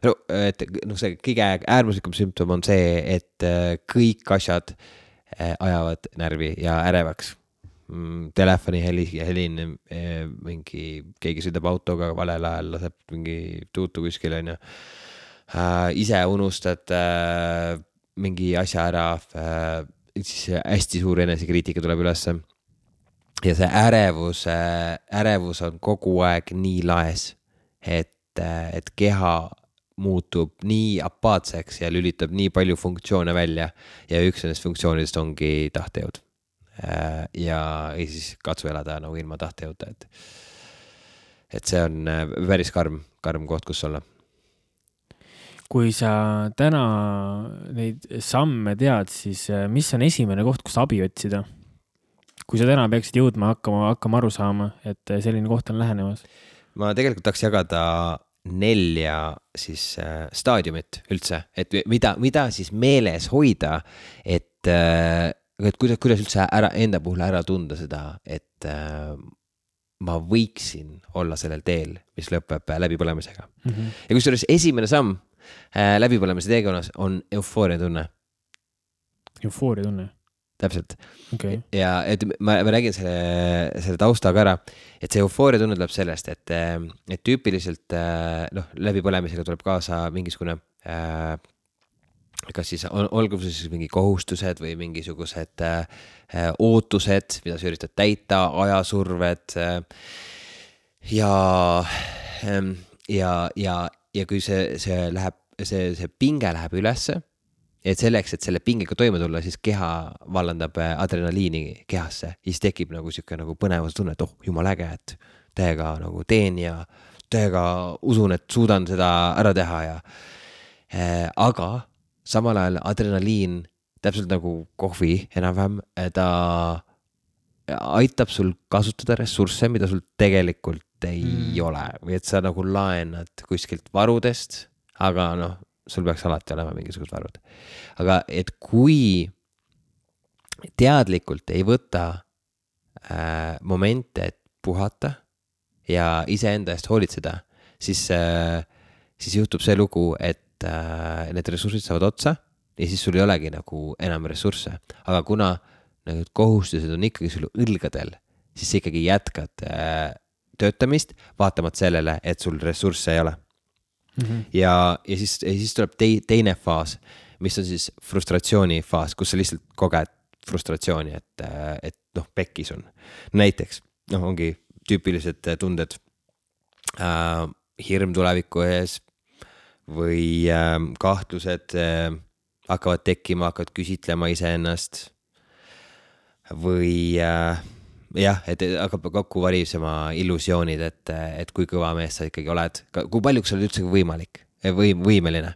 no, et noh, see kõige äärmuslikum sümptom on see, et kõik asjad ajavad närvi ja ärevaks. Telefoni heli, helin, mingi, keegi sõidab autoga valel ajal, laseb mingi tuutu kuskil, on ju. Ise unustad mingi asja ära, siis hästi suur enesekriitika tuleb ülesse. Ja see ärevus, ärevus on kogu aeg nii laes, et et keha muutub nii apaatseks ja lülitab nii palju funktsioone välja ja üks nendest funktsioonidest ongi tahtejõud. Ja, ja siis katsu elada nagu ilma tahtejõuda, et, et see on päris karm, karm koht, kus olla. Kui sa täna neid samme tead, siis mis on esimene koht, kus abi otsida? Kui sa täna peaksid jõudma hakkama, hakkama aru saama, et selline koht on lähenemas? Ma tegelikult tahaks jagada nelja siis äh, staadiumit üldse, et mida, mida siis meeles hoida, et, äh, et kuidas, kuidas üldse ära, enda puhul ära tunda seda, et äh, ma võiksin olla sellel teel, mis lõpeb läbipõlemisega. Mm-hmm. Ja kusjuures esimene samm äh, läbipõlemise teekonnas on eufooria tunne. Eufooria tunne? Täpselt. Okay. Ja et ma, ma räägin selle, selle taustaga ära, et see eufooria tunne tuleb sellest, et, et tüüpiliselt noh, läbipõlemisega tuleb kaasa mingisugune äh, kas siis on, olgu siis mingi kohustused või mingisugused äh, ootused, mida sa üritad täita, ajasurved äh, ja, äh, ja, ja, ja kui see, see läheb, see, see pinge läheb ülesse, et selleks, et selle pingega toime tulla, siis keha vallandab adrenaliini kehasse. Ja siis tekib nagu siuke nagu põnevus tunne, et oh, jumal äge, et täiega nagu teen ja täiega usun, et suudan seda ära teha. Ja, äh, aga samal ajal adrenaliin, täpselt nagu kohvi enam-vähem, ta aitab sul kasutada ressursse, mida sul tegelikult ei mm. ole. Või et sa nagu laenad kuskilt varudest, aga noh, sul peaks alati olema mingisugused varud. Aga et kui teadlikult ei võta äh, momente, et puhata ja iseenda eest hoolitseda, siis, äh, siis juhtub see lugu, et äh, need ressursid saavad otsa ja siis sul ei olegi nagu enam ressursse. Aga kuna need kohustused on ikkagi sul õlgadel, siis sa ikkagi jätkad äh, töötamist, vaatamata sellele, et sul ressursse ei ole. Mm-hmm. Ja, ja, siis, ja siis tuleb te, teine faas, mis on siis frustratsiooni faas, kus sa lihtsalt koged frustratsiooni, et, et noh, pekkis on. Näiteks, noh, ongi tüüpilised tunded äh, hirm tuleviku ees või äh, kahtlused äh, hakkavad tekkima, hakkavad küsitlema iseennast või äh, jah, et hakkab kokku varisema illusioonid, et, et kui kõva mees sa ikkagi oled, kui paljuks sa oled üldse võimalik või võimeline.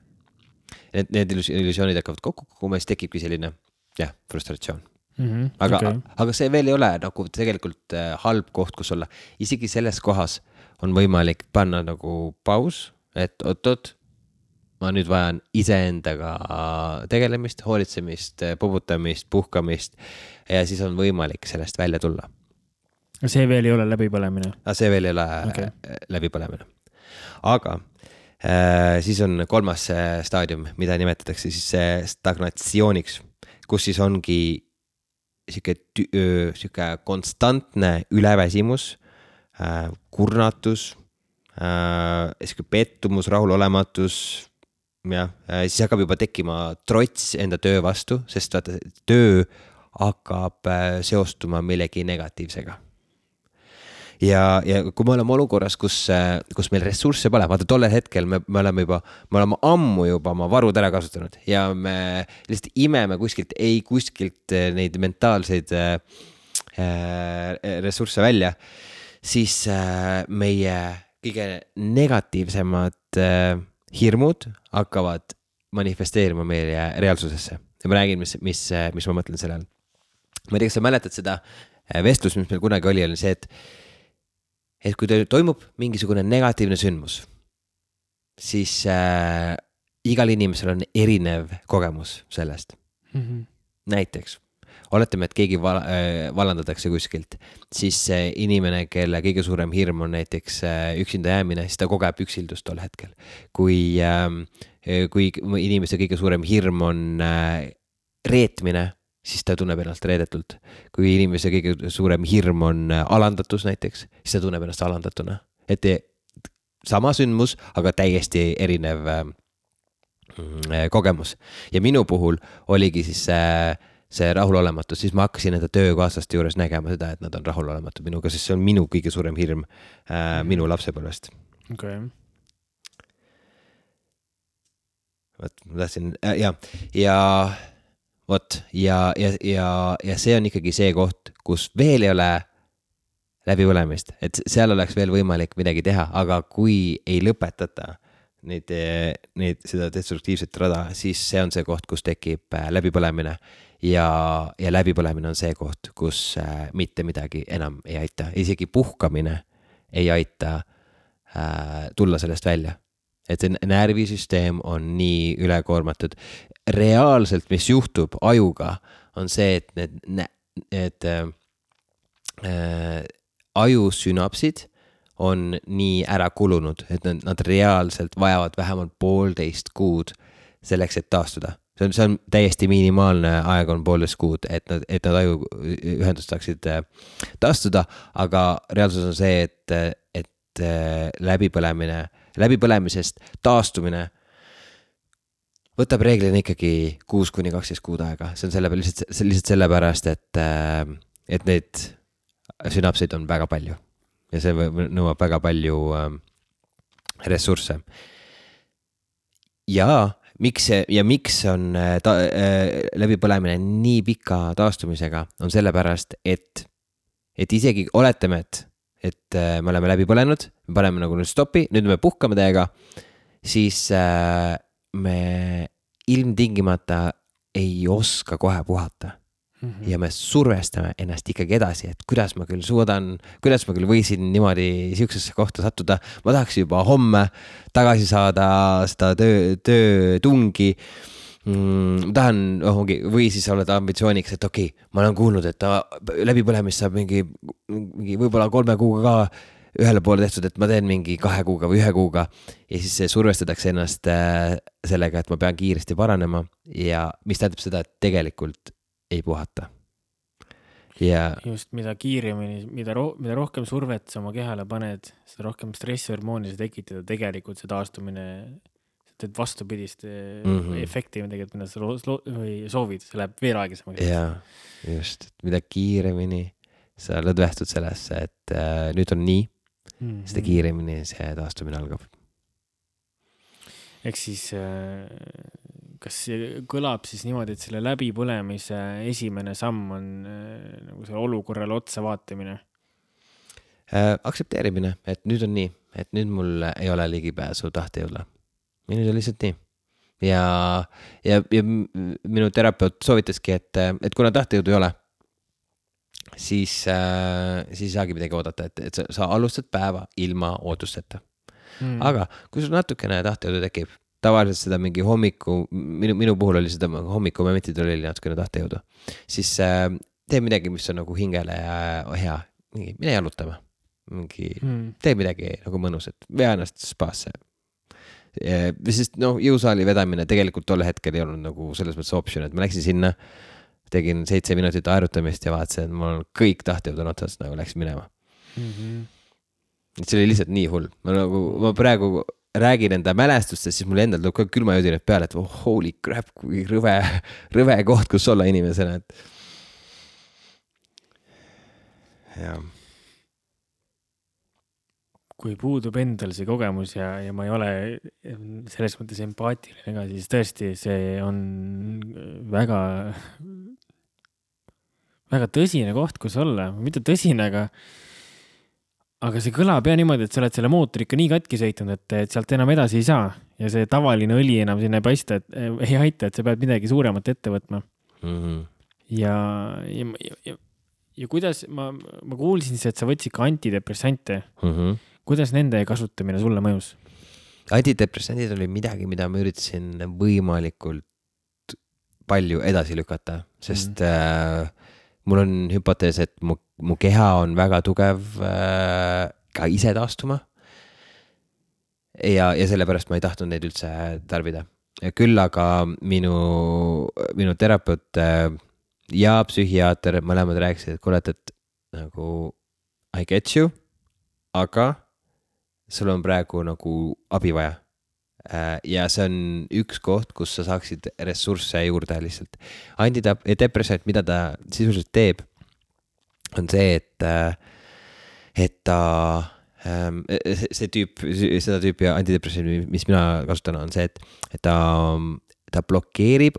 Need, need illusioonid hakkavad kokku, kui mees tekibki selline jah, frustratsioon. Mm-hmm, aga, okay. aga see veel ei ole nagu tegelikult halb koht, kus olla. Isegi selles kohas on võimalik panna nagu paus, et oot-oot, ma nüüd vajan iseendaga tegelemist, hoolitsemist, pubutamist, puhkamist ja siis on võimalik sellest välja tulla. See veel ei ole läbipõlemine? See veel ei ole okay. läbipõlemine. Aga äh, siis on kolmas staadium, mida nimetatakse siis stagnatsiooniks, kus siis ongi siuke, tü- siuke konstantne üleväsimus, äh, kurnatus, äh, siuke pettumus, rahulolematus, ja äh, siis hakkab juba tekkima trots enda töö vastu, sest vaata, töö hakkab äh, seostuma millegi negatiivsega. Ja, ja kui me oleme olukorras, kus, kus meil ressursse pole, vaata tollel hetkel me, me oleme juba, me oleme ammu juba oma varud ära kasutanud ja me lihtsalt imeme kuskilt, ei kuskilt neid mentaalseid äh, ressursse välja, siis äh, meie kõige negatiivsemad äh, hirmud hakkavad manifesteerima meie reaalsusesse. Ja ma räägin, mis, mis, mis ma mõtlen selle all. Ma ei tea, kas sa mäletad seda vestlus, mis meil kunagi oli, oli see, et et kui toimub mingisugune negatiivne sündmus, siis äh, igal inimesel on erinev kogemus sellest. Mm-hmm. Näiteks oletame, et keegi val, äh, vallandatakse kuskilt, siis see inimene, kelle kõige suurem hirm on näiteks äh, üksinda jäämine, siis ta kogeb üksildust tol hetkel. Kui, äh, kui inimese kõige suurem hirm on äh, reetmine, siis ta tunneb ennast reedetult. Kui inimese kõige suurem hirm on alandatus näiteks, siis ta tunneb ennast alandatuna. Et sama sündmus, aga täiesti erinev äh, kogemus. Ja minu puhul oligi siis see, see rahulolematus, siis ma hakkasin enda töökaaslaste juures nägema seda, et nad on rahulolematu minuga, sest see on minu kõige suurem hirm äh, minu lapsepõlvest. Okay. Võt, ma tahtsin, äh, ja, ja Vot, ja, ja, ja, ja see on ikkagi see koht, kus veel ei ole läbipõlemist, et seal oleks veel võimalik midagi teha, aga kui ei lõpetata neid, neid, seda destruktiivset rada, siis see on see koht, kus tekib läbipõlemine ja, ja läbipõlemine on see koht, kus mitte midagi enam ei aita, isegi puhkamine ei aita äh, tulla sellest välja. Et see närvisüsteem on nii ülekoormatud. Reaalselt, mis juhtub ajuga, on see, et need, need äh, ajusünapsid on nii ära kulunud, et nad, nad reaalselt vajavad vähemalt poolteist kuud selleks, et taastuda. See on, see on täiesti minimaalne aeg on poolteist kuud, et nad, et nad ajuühendust saaksid taastuda, aga reaalsus on see, et, et läbipõlemine läbipõlemisest taastumine võtab reeglina ikkagi kuus kuni kaksteist kuud aega. See on selle, lihtsalt, lihtsalt sellepärast, et, et neid sünapseid on väga palju ja see nõuab väga palju ressursse. Ja miks, ja miks on ta, läbipõlemine nii pika taastumisega on sellepärast, et, et isegi oletame, et et me oleme läbi põlenud, me paneme nagu nüüd stopi, nüüd me puhkame täiega, siis äh, me ilmtingimata ei oska kohe puhata. Mm-hmm. Ja me survestame ennast ikkagi edasi, et kuidas ma küll suudan, kuidas ma küll võisin niimoodi siuksesse kohta sattuda, ma tahaks juba homme tagasi saada seda töö, töö tungi, ma tahan, oh, või siis oled ambitsiooniks, et okei, okay, ma olen kuulnud, et ta läbipõlemist saab mingi, mingi võib-olla kolme kuuga ka ühele poole tehtud, et ma teen mingi kahe kuuga või ühe kuuga ja siis survestatakse ennast sellega, et ma pean kiiresti paranema ja mis tähendab seda, et tegelikult ei puhata. Ja just mida kiiremini, mida, ro- mida rohkem survet sa oma kehale paned, seda rohkem stressihormooni sa tekitada, tegelikult see taastumine et vastupidist mm-hmm. efekti, mida sa või soovid, see läheb veel aegisemaks. Jaa, just, mida kiiremini sa lõdvestud sellesse, et äh, nüüd on nii, mm-hmm. seda kiiremini see taastumine algab. Ehk siis, äh, kas see kõlab siis niimoodi, et selle läbipõlemise esimene samm on äh, nagu selle olukorrale otsa vaatamine? Äh, aksepteerimine, et nüüd on nii, et nüüd mul ei ole ligipääsu tahtejõule. Nüüd on lihtsalt nii. Ja, ja, ja minu terapeut soovitaski, et, et kuna tahtejõudu ei ole, siis, äh, siis saagi midagi oodata, et, et sa, sa alustad päeva ilma ootusteta. Mm. Aga kui sul natukene tahtejõudu tekib, tavaliselt seda mingi hommiku, minu, minu puhul oli seda hommiku momentid oli natukene tahtejõudu, siis äh, tee midagi, mis on nagu hingele ja hea, mine jalutama, mingi, mm. tee midagi nagu mõnus, et vea ennast spaasse. Ja, sest no, jõusaali vedamine tegelikult tolle hetkel ei olnud nagu selles mõttes option, et ma läksin sinna, tegin seitse minutit aerutamist ja vaatasin, et mul kõik tahtejõud on otsast nagu läks minema. Mm-hmm. See oli lihtsalt nii hull. Ma, nagu, ma praegu räägin enda mälestustest, siis mul endal tuleb ka külmajõudined peale, et oh, holy crap, kui rõve, rõve koht, kus olla inimesena. Et... Ja... kui puudub endal see kogemus ja, ja ma ei ole selles mõttes empaatiline ka, siis tõesti see on väga, väga tõsine koht, kus olla. Mitte tõsine, aga, aga see kõlab ja niimoodi, et sa oled selle mootori ikka nii katki sõitnud, et, et sealt enam edasi ei saa. Ja see tavaline õli enam sinna ei paista, et ei aita, et sa pead midagi suuremat ette võtma. Mm-hmm. Ja, ja, ja, ja, ja kuidas, ma, ma kuulsin, et sa võtsid ka antidepressante. Mm-hmm. Kuidas nende kasutamine sulle mõjus? Antidepressandid oli midagi, mida ma üritasin võimalikult palju edasi lükata, sest mm. äh, mul on hüpotees, et mu, mu keha on väga tugev äh, ka ise taastuma. Ja, ja sellepärast ma ei tahtnud neid üldse tarbida. Küll aga minu, minu terapeut äh, ja psühhiaater mõlemad rääkisid, et kuule, et nagu I get you, aga sul on praegu nagu abi vaja. Ja see on üks koht, kus sa saaksid ressursse juurde lihtsalt. Antidepressant, mida ta sisuliselt teeb, on see, et, et ta, see tüüp, seda tüüpi antidepressant, mis mina kasutan, on see, et, et ta, ta blokeerib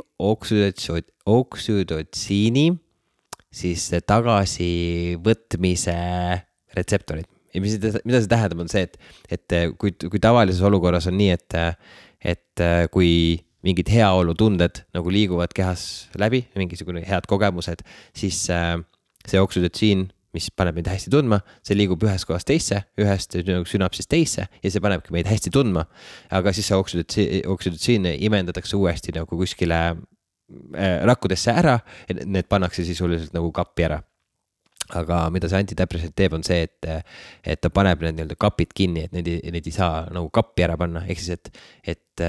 oksüdotsiini siis tagasivõtmise retseptorid. Ja mis, mida see tähendab on see, et, et kui, kui tavalises olukorras on nii, et, et kui mingid heaolu tunded nagu liiguvad kehas läbi, mingisugune head kogemused, siis see oksüdotsiin, mis paneb meid hästi tundma, see liigub ühest kohast teisse, ühest sünapsist teisse ja see panebki meid hästi tundma. Aga siis see oksüdotsiin, oksüdotsiin imendatakse uuesti nagu kuskile rakkudesse ära, need pannakse sisuliselt nagu kappi ära. Aga mida see antidepressant teeb on see, et, et ta paneb need nii-öelda kapid kinni, et need, need ei saa nagu kappi ära panna. Ehk siis, et, et,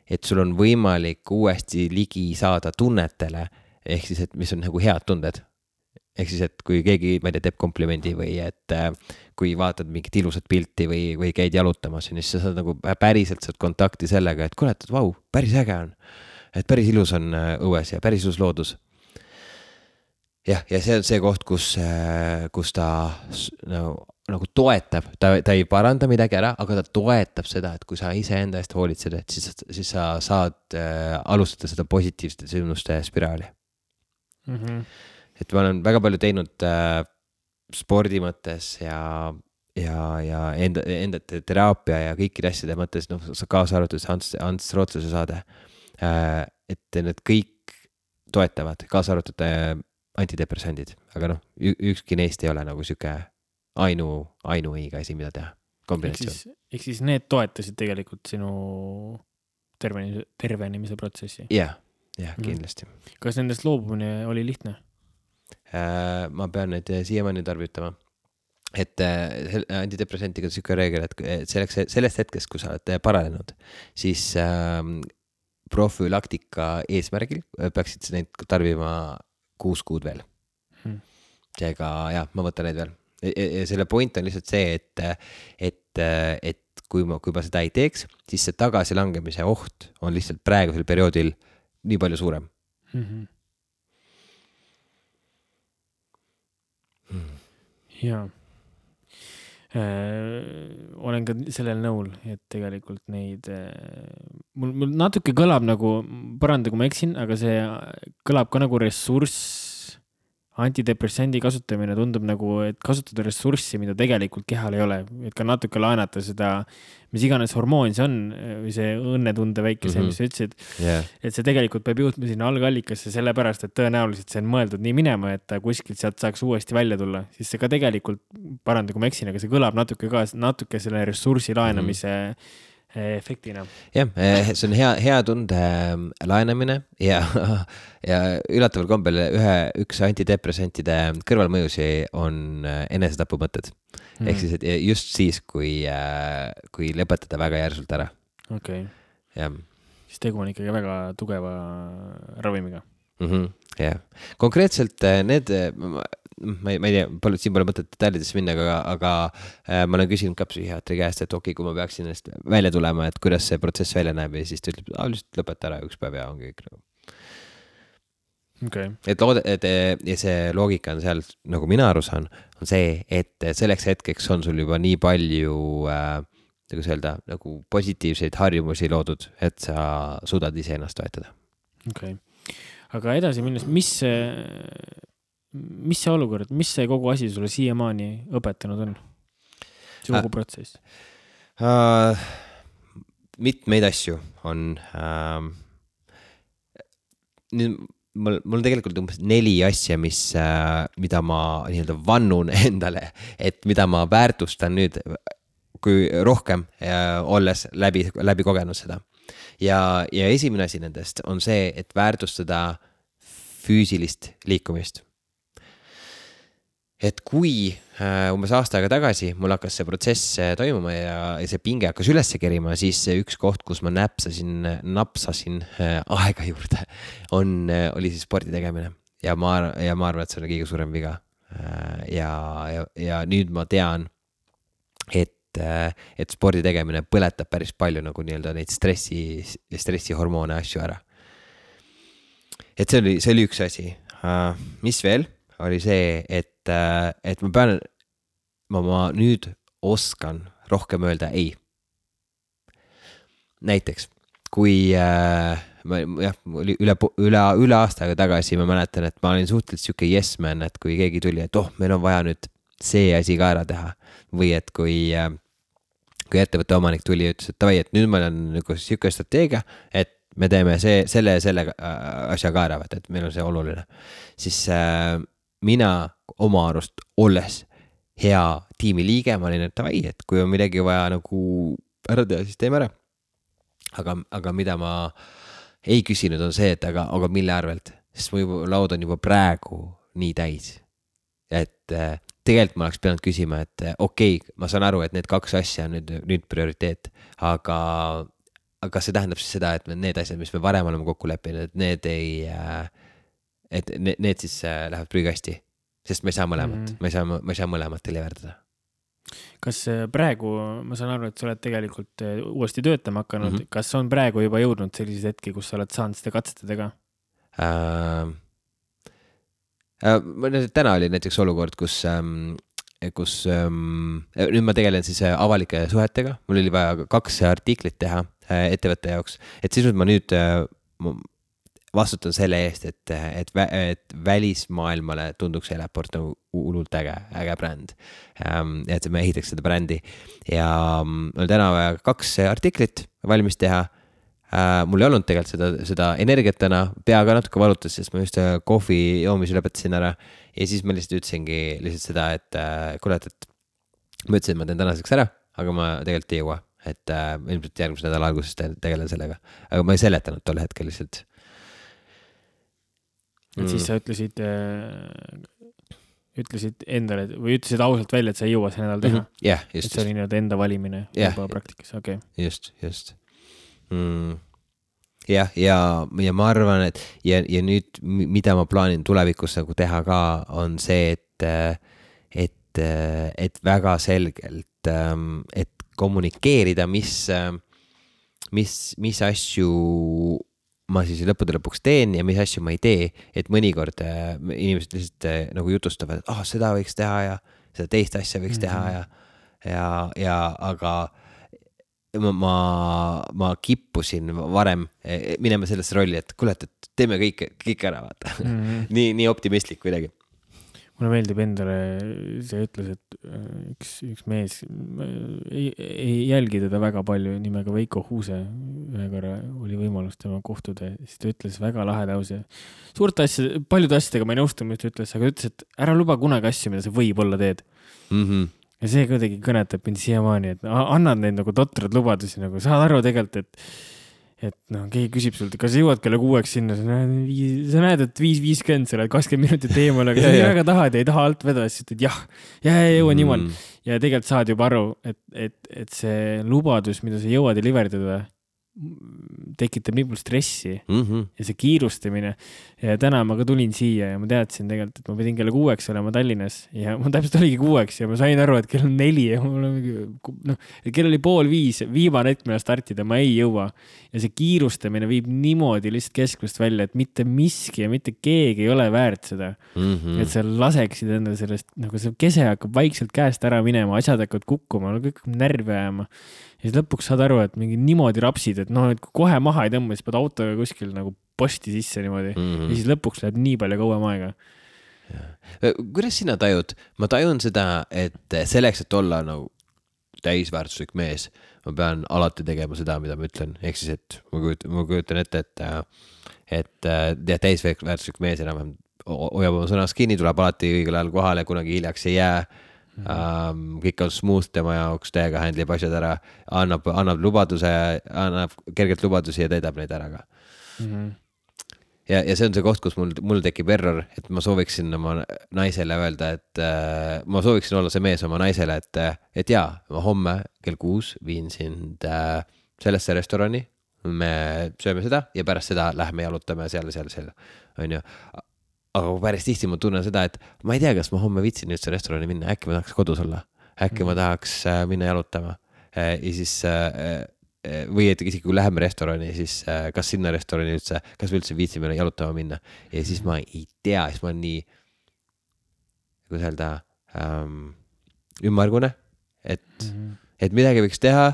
et sul on võimalik uuesti ligi saada tunnetele, ehk siis, et mis on nagu head tunded. Ehk siis, et kui keegi, ma ei tea, teeb komplimendi või et kui vaatad mingit ilusat pilti või, või käid jalutamas, siis sa saad nagu päriselt saad kontakti sellega, et kuule, et vau, päris äge on. Et päris ilus on õues ja päris ilus loodus. Jah, ja see on see koht, kus, kus ta nagu, nagu toetab, ta, ta ei paranda midagi ära, aga ta toetab seda, et kui sa ise enda eest hoolitsed, et siis, siis sa saad äh, alustada seda positiivsete sündmuste spiraali. Mm-hmm. Et ma olen väga palju teinud äh, spordi mõttes ja, ja, ja enda, enda teraapia ja kõikide asjade mõttes, noh, sa kaasa arvatud Ants, Ants Rootsuse saade, äh, et need kõik toetavad, kaasa arvatud äh, antidepressandid, aga noh, ükski neist ei ole nagu süke ainu, ainu õige asi, mida teha. Kombinatsioon. Ehk siis need toetasid tegelikult sinu tervenimise, tervenimise protsessi? Jah, jah, kindlasti. Kas nendest loobumine oli lihtne? Äh, ma pean neid siiamaani tarbitama. Et äh, antidepressantiga on süke reegel, et selleks, sellest hetkest, kui sa oled paranenud, siis äh, profülaktika eesmärgil peaksid neid tarbima kuus kuud veel. Hmm. Seega, jah, ma võtan neid veel. Ja selle point on lihtsalt see, et, et, et kui ma, kui ma seda ei teeks, siis see tagasilangemise oht on lihtsalt praegusel perioodil nii palju suurem. Mm-hmm. Hmm. Jaa. Äh, olen ka sellel nõul, et tegelikult neid äh, mul, mul natuke kõlab nagu, paranda kui ma eksin, aga see kõlab ka nagu ressurss, antidepressandi kasutamine tundub nagu, et kasutada ressurssi, mida tegelikult kehal ei ole, et ka natuke laenata seda, mis iganes hormoon see on, või see õnnetunde väike see, mm-hmm. mis sa ütlesid, yeah. Et see tegelikult peab juhtma sinna algallikasse sellepärast, et tõenäoliselt see on mõeldud nii minema, et ta kuskilt sealt saaks uuesti välja tulla, siis see ka tegelikult, paranda kui ma eksin, aga see kõlab natuke ka, natuke selle ressursi laenamise mm-hmm. efektina. Jah, see on hea, hea tunde laenamine ja, ja ülataval kombel ühe, üks antidepressantide kõrvalmõjusi on enesetapumõtted. Mm. Ehk siis, et just siis, kui, kui lõpetada väga järsult ära. Okei. Okay. Jah. Siis tegu on ikkagi väga tugeva ravimiga. Mm-hmm. Jah. Konkreetselt need... ma ei, ma ei tea, palju, siin pole mõtet detailidesse minna, aga, aga äh, ma olen küsinud ka psühhiaatri käest, et okei, kui ma peaksin ennast välja tulema, et kuidas see protsess välja näeb ja siis ta ütleb, ah, lihtsalt lõpeta ära üks päev ja ongi kõik nagu. Okay. Et, lood, et ja see loogika on seal, nagu mina aru saan, on see, et selleks hetkeks on sul juba nii palju äh, nagu öelda, nagu positiivseid harjumusi loodud, et sa suudad ise ennast toetada. Okei. Okay. Aga edasi minnes, mis mis see olukord, mis see kogu asi sulle siiamaani õpetanud on? See kogu protsess? Uh, mitmeid asju on. Uh, mul, mul tegelikult umbes neli asja, mis, uh, mida ma nii-öelda vannun endale, et mida ma väärtustan nüüd kui rohkem uh, olles läbi, läbi kogenud seda. ja, ja esimene asi nendest on see, et väärtustada füüsilist liikumist. Et kui äh, umbes aasta aega tagasi mul hakkas see protsess toimuma ja, ja see pinge hakkas üles kerima, siis üks koht, kus ma näpsasin, napsasin äh, aega juurde, on, äh, oli siis spordi tegemine. Ja ma, ja ma arvan, et see on kõige suurem viga. Äh, ja, ja, ja nüüd ma tean, et, äh, et spordi tegemine põletab päris palju nagu nii-öelda neid stressi, stressihormoone asju ära. Et see oli, see oli üks asi. Uh, mis veel? Oli see, et, uh, et ma pean, ma, ma nüüd oskan rohkem öelda ei. Näiteks, kui uh, ma, jah, üle, üle, üle aastaga tagasi ma mäletan, et ma olin suhteliselt siuke yes man, et kui keegi tuli, et oh, meil on vaja nüüd see asi ka ära teha. Või et kui, uh, kui ettevõtte omanik tuli ja ütles, et tavai, et nüüd meil on nagu siuke strateegia, et me teeme see, selle ja selle asja ka ära, et meil on see oluline. Siis äh, mina oma arust olles hea tiimi liige, ma olin, et tavai, et kui on midagi vaja nagu ära teha, siis teeme ära. Aga, aga mida ma ei küsinud on see, et aga, aga mille arvelt, sest mu juba, laud on juba praegu nii täis. Et äh, tegelikult ma oleks pidanud küsima, et okei, okay, ma saan aru, et need kaks asja on nüüd, nüüd prioriteet, aga aga see tähendab siis seda, et need asjad, mis me varem oleme kokku leppinud, et need ei, et need, need siis lähevad prügikasti, sest me ei saa mõlemat, mm. me ei saa, me ei saa mõlemat deliverdada. Kas praegu, ma saan aru, et sa oled tegelikult uuesti töötama hakanud, mm-hmm. kas on praegu juba jõudnud selliseid hetki, kus sa oled saanud seda katsetada ka? Äh, äh, täna oli näiteks olukord, kus ähm, kus ähm, nüüd ma tegelen siis avalike suhetega, mul oli vaja kaks artiklit teha äh, ettevõtte jaoks, et siis ma nüüd äh, vastutan selle eest, et, et, et välismaailmale tunduks Eleport nagu hullult äge, äge bränd, ähm, et me ehitaks seda brändi ja mul täna vaja kaks artiklit valmis teha. Uh, mul ei olnud tegelikult seda, seda energiat täna, peaga natuke valutas, sest ma just kohvi joomise lõpetasin ära ja siis ma lihtsalt ütlesingi lihtsalt seda, et uh, kuule, et ma ütlesin, et ma teen tänaseks ära, aga ma tegelikult ei jõua, et uh, ilmselt järgmise nädala alguses tegelen sellega, aga ma ei seletanud tol hetkel lihtsalt. Et mm. siis sa ütlesid, äh, ütlesid endale või ütlesid ausalt välja, et sa ei jõua see nädal teha? Mm-hmm. Yeah, just. Et see oli nii-öelda enda valimine yeah. juba praktikas, okei. Okay. Just, just. Mm. jah, ja, ja ma arvan, et ja, ja nüüd, mida ma plaanin tulevikus nagu teha ka, on see, et, et, et väga selgelt, et kommunikeerida, mis, mis, mis asju ma siis lõppude lõpuks teen ja mis asju ma ei tee, et mõnikord inimesed lihtsalt nagu jutustavad, et ah, oh, seda võiks teha ja seda teist asja võiks teha ja, ja, ja aga ma, ma, ma kippusin varem minema sellesse rolli, et kuule, et teeme kõik, kõik ära, vaata. Mm-hmm. nii, nii optimistlik kuidagi. Mulle meeldib endale, see ütles, et üks, üks mees ei, ei jälgi teda väga palju nimega Veiko Huuse. Ühe korra oli võimalus tema kohtuda, siis ta ütles väga lahe lause. Suurte asja, paljude asjadega ma ei nõustu, mis ta ütles, aga ütles, et ära luba kunagi asju, mida sa võib-olla teed. Mm-hmm. Ja see kuidagi kõnetab mind siiamaani, et annad neid nagu totrad lubadusi, nagu saad aru tegelikult, et, et no, keegi küsib sult, kas jõuad kelle kuueks sinna, sa näed, sa näed et viis viiskümmend, sa oled kakskümmend minutit eemal, aga sa väga tahad ja ei taha alt vedada, siis ütled jah, jah, ja jõua niimoodi. Mm. Ja tegelikult saad juba aru, et, et, et see lubadus, mida sa jõuad deliverdada, tekitab nii palju stressi mm-hmm. ja see kiirustamine ja täna ma ka tulin siia ja ma teadsin tegelikult, et ma pidin kella kuueks olema Tallinnas ja ma täpselt oligi kuueks ja ma sain aru, et kell on neli ja mul on no, kell oli pool viis, viimane hetk mille startida, ma ei jõua ja see kiirustamine viib niimoodi lihtsalt kesklust välja, et mitte miski ja mitte keegi ei ole väärt seda mm-hmm. et sa laseksid enda sellest, nagu see kese hakkab vaikselt käest ära minema, asjad hakkavad kukkuma, kõik närvi ajama ja siis lõpuks saad aru, et mingi niimoodi rapsid, et noh, et kohe maha ei tõmba, siis pead autoga kuskil nagu posti sisse niimoodi mm-hmm. ja siis lõpuks läheb nii palju kauem aega. Kuidas sina tajud? Ma tajun seda, et selleks, et olla nagu täisväärtuslik mees, ma pean alati tegema seda, mida ma ütlen. Ehk siis, et ma kujutan, ma kujutan ette, et, et ja, täisväärtuslik mees enam hoiab oma sõnas kinni, tuleb alati õigel ajal kohale, kunagi hiljaks ei jää. mm. um, kõik on smooth tema jaoks, täiega handlib asjad ära, annab, annab lubaduse, annab kergelt lubadusi ja täidab neid ära ka mm. ja, ja see on see koht, kus mul, mul tekib error, et ma sooviksin oma naisele öelda, et äh, ma sooviksin olla see mees oma naisele, et, et jaa, ma homme kell kuus viin sind äh, sellesse restorani, me sööme seda ja pärast seda lähme jalutame seal ja seal, seal, on ju. Aga päris tihti ma tunnen seda, et ma ei tea, kas ma homme viitsin üldse restorani minna, äkki ma tahaks kodus olla, äkki mm. ma tahaks äh, minna jalutama äh, ja siis äh, või et isegi kui läheme restorani, siis äh, kas sinna restorani üldse, kas me üldse viitsime jalutama minna ja siis ma ei tea, siis ma olen nii kuidas öelda ähm, ümmargune, et, mm. et midagi võiks teha,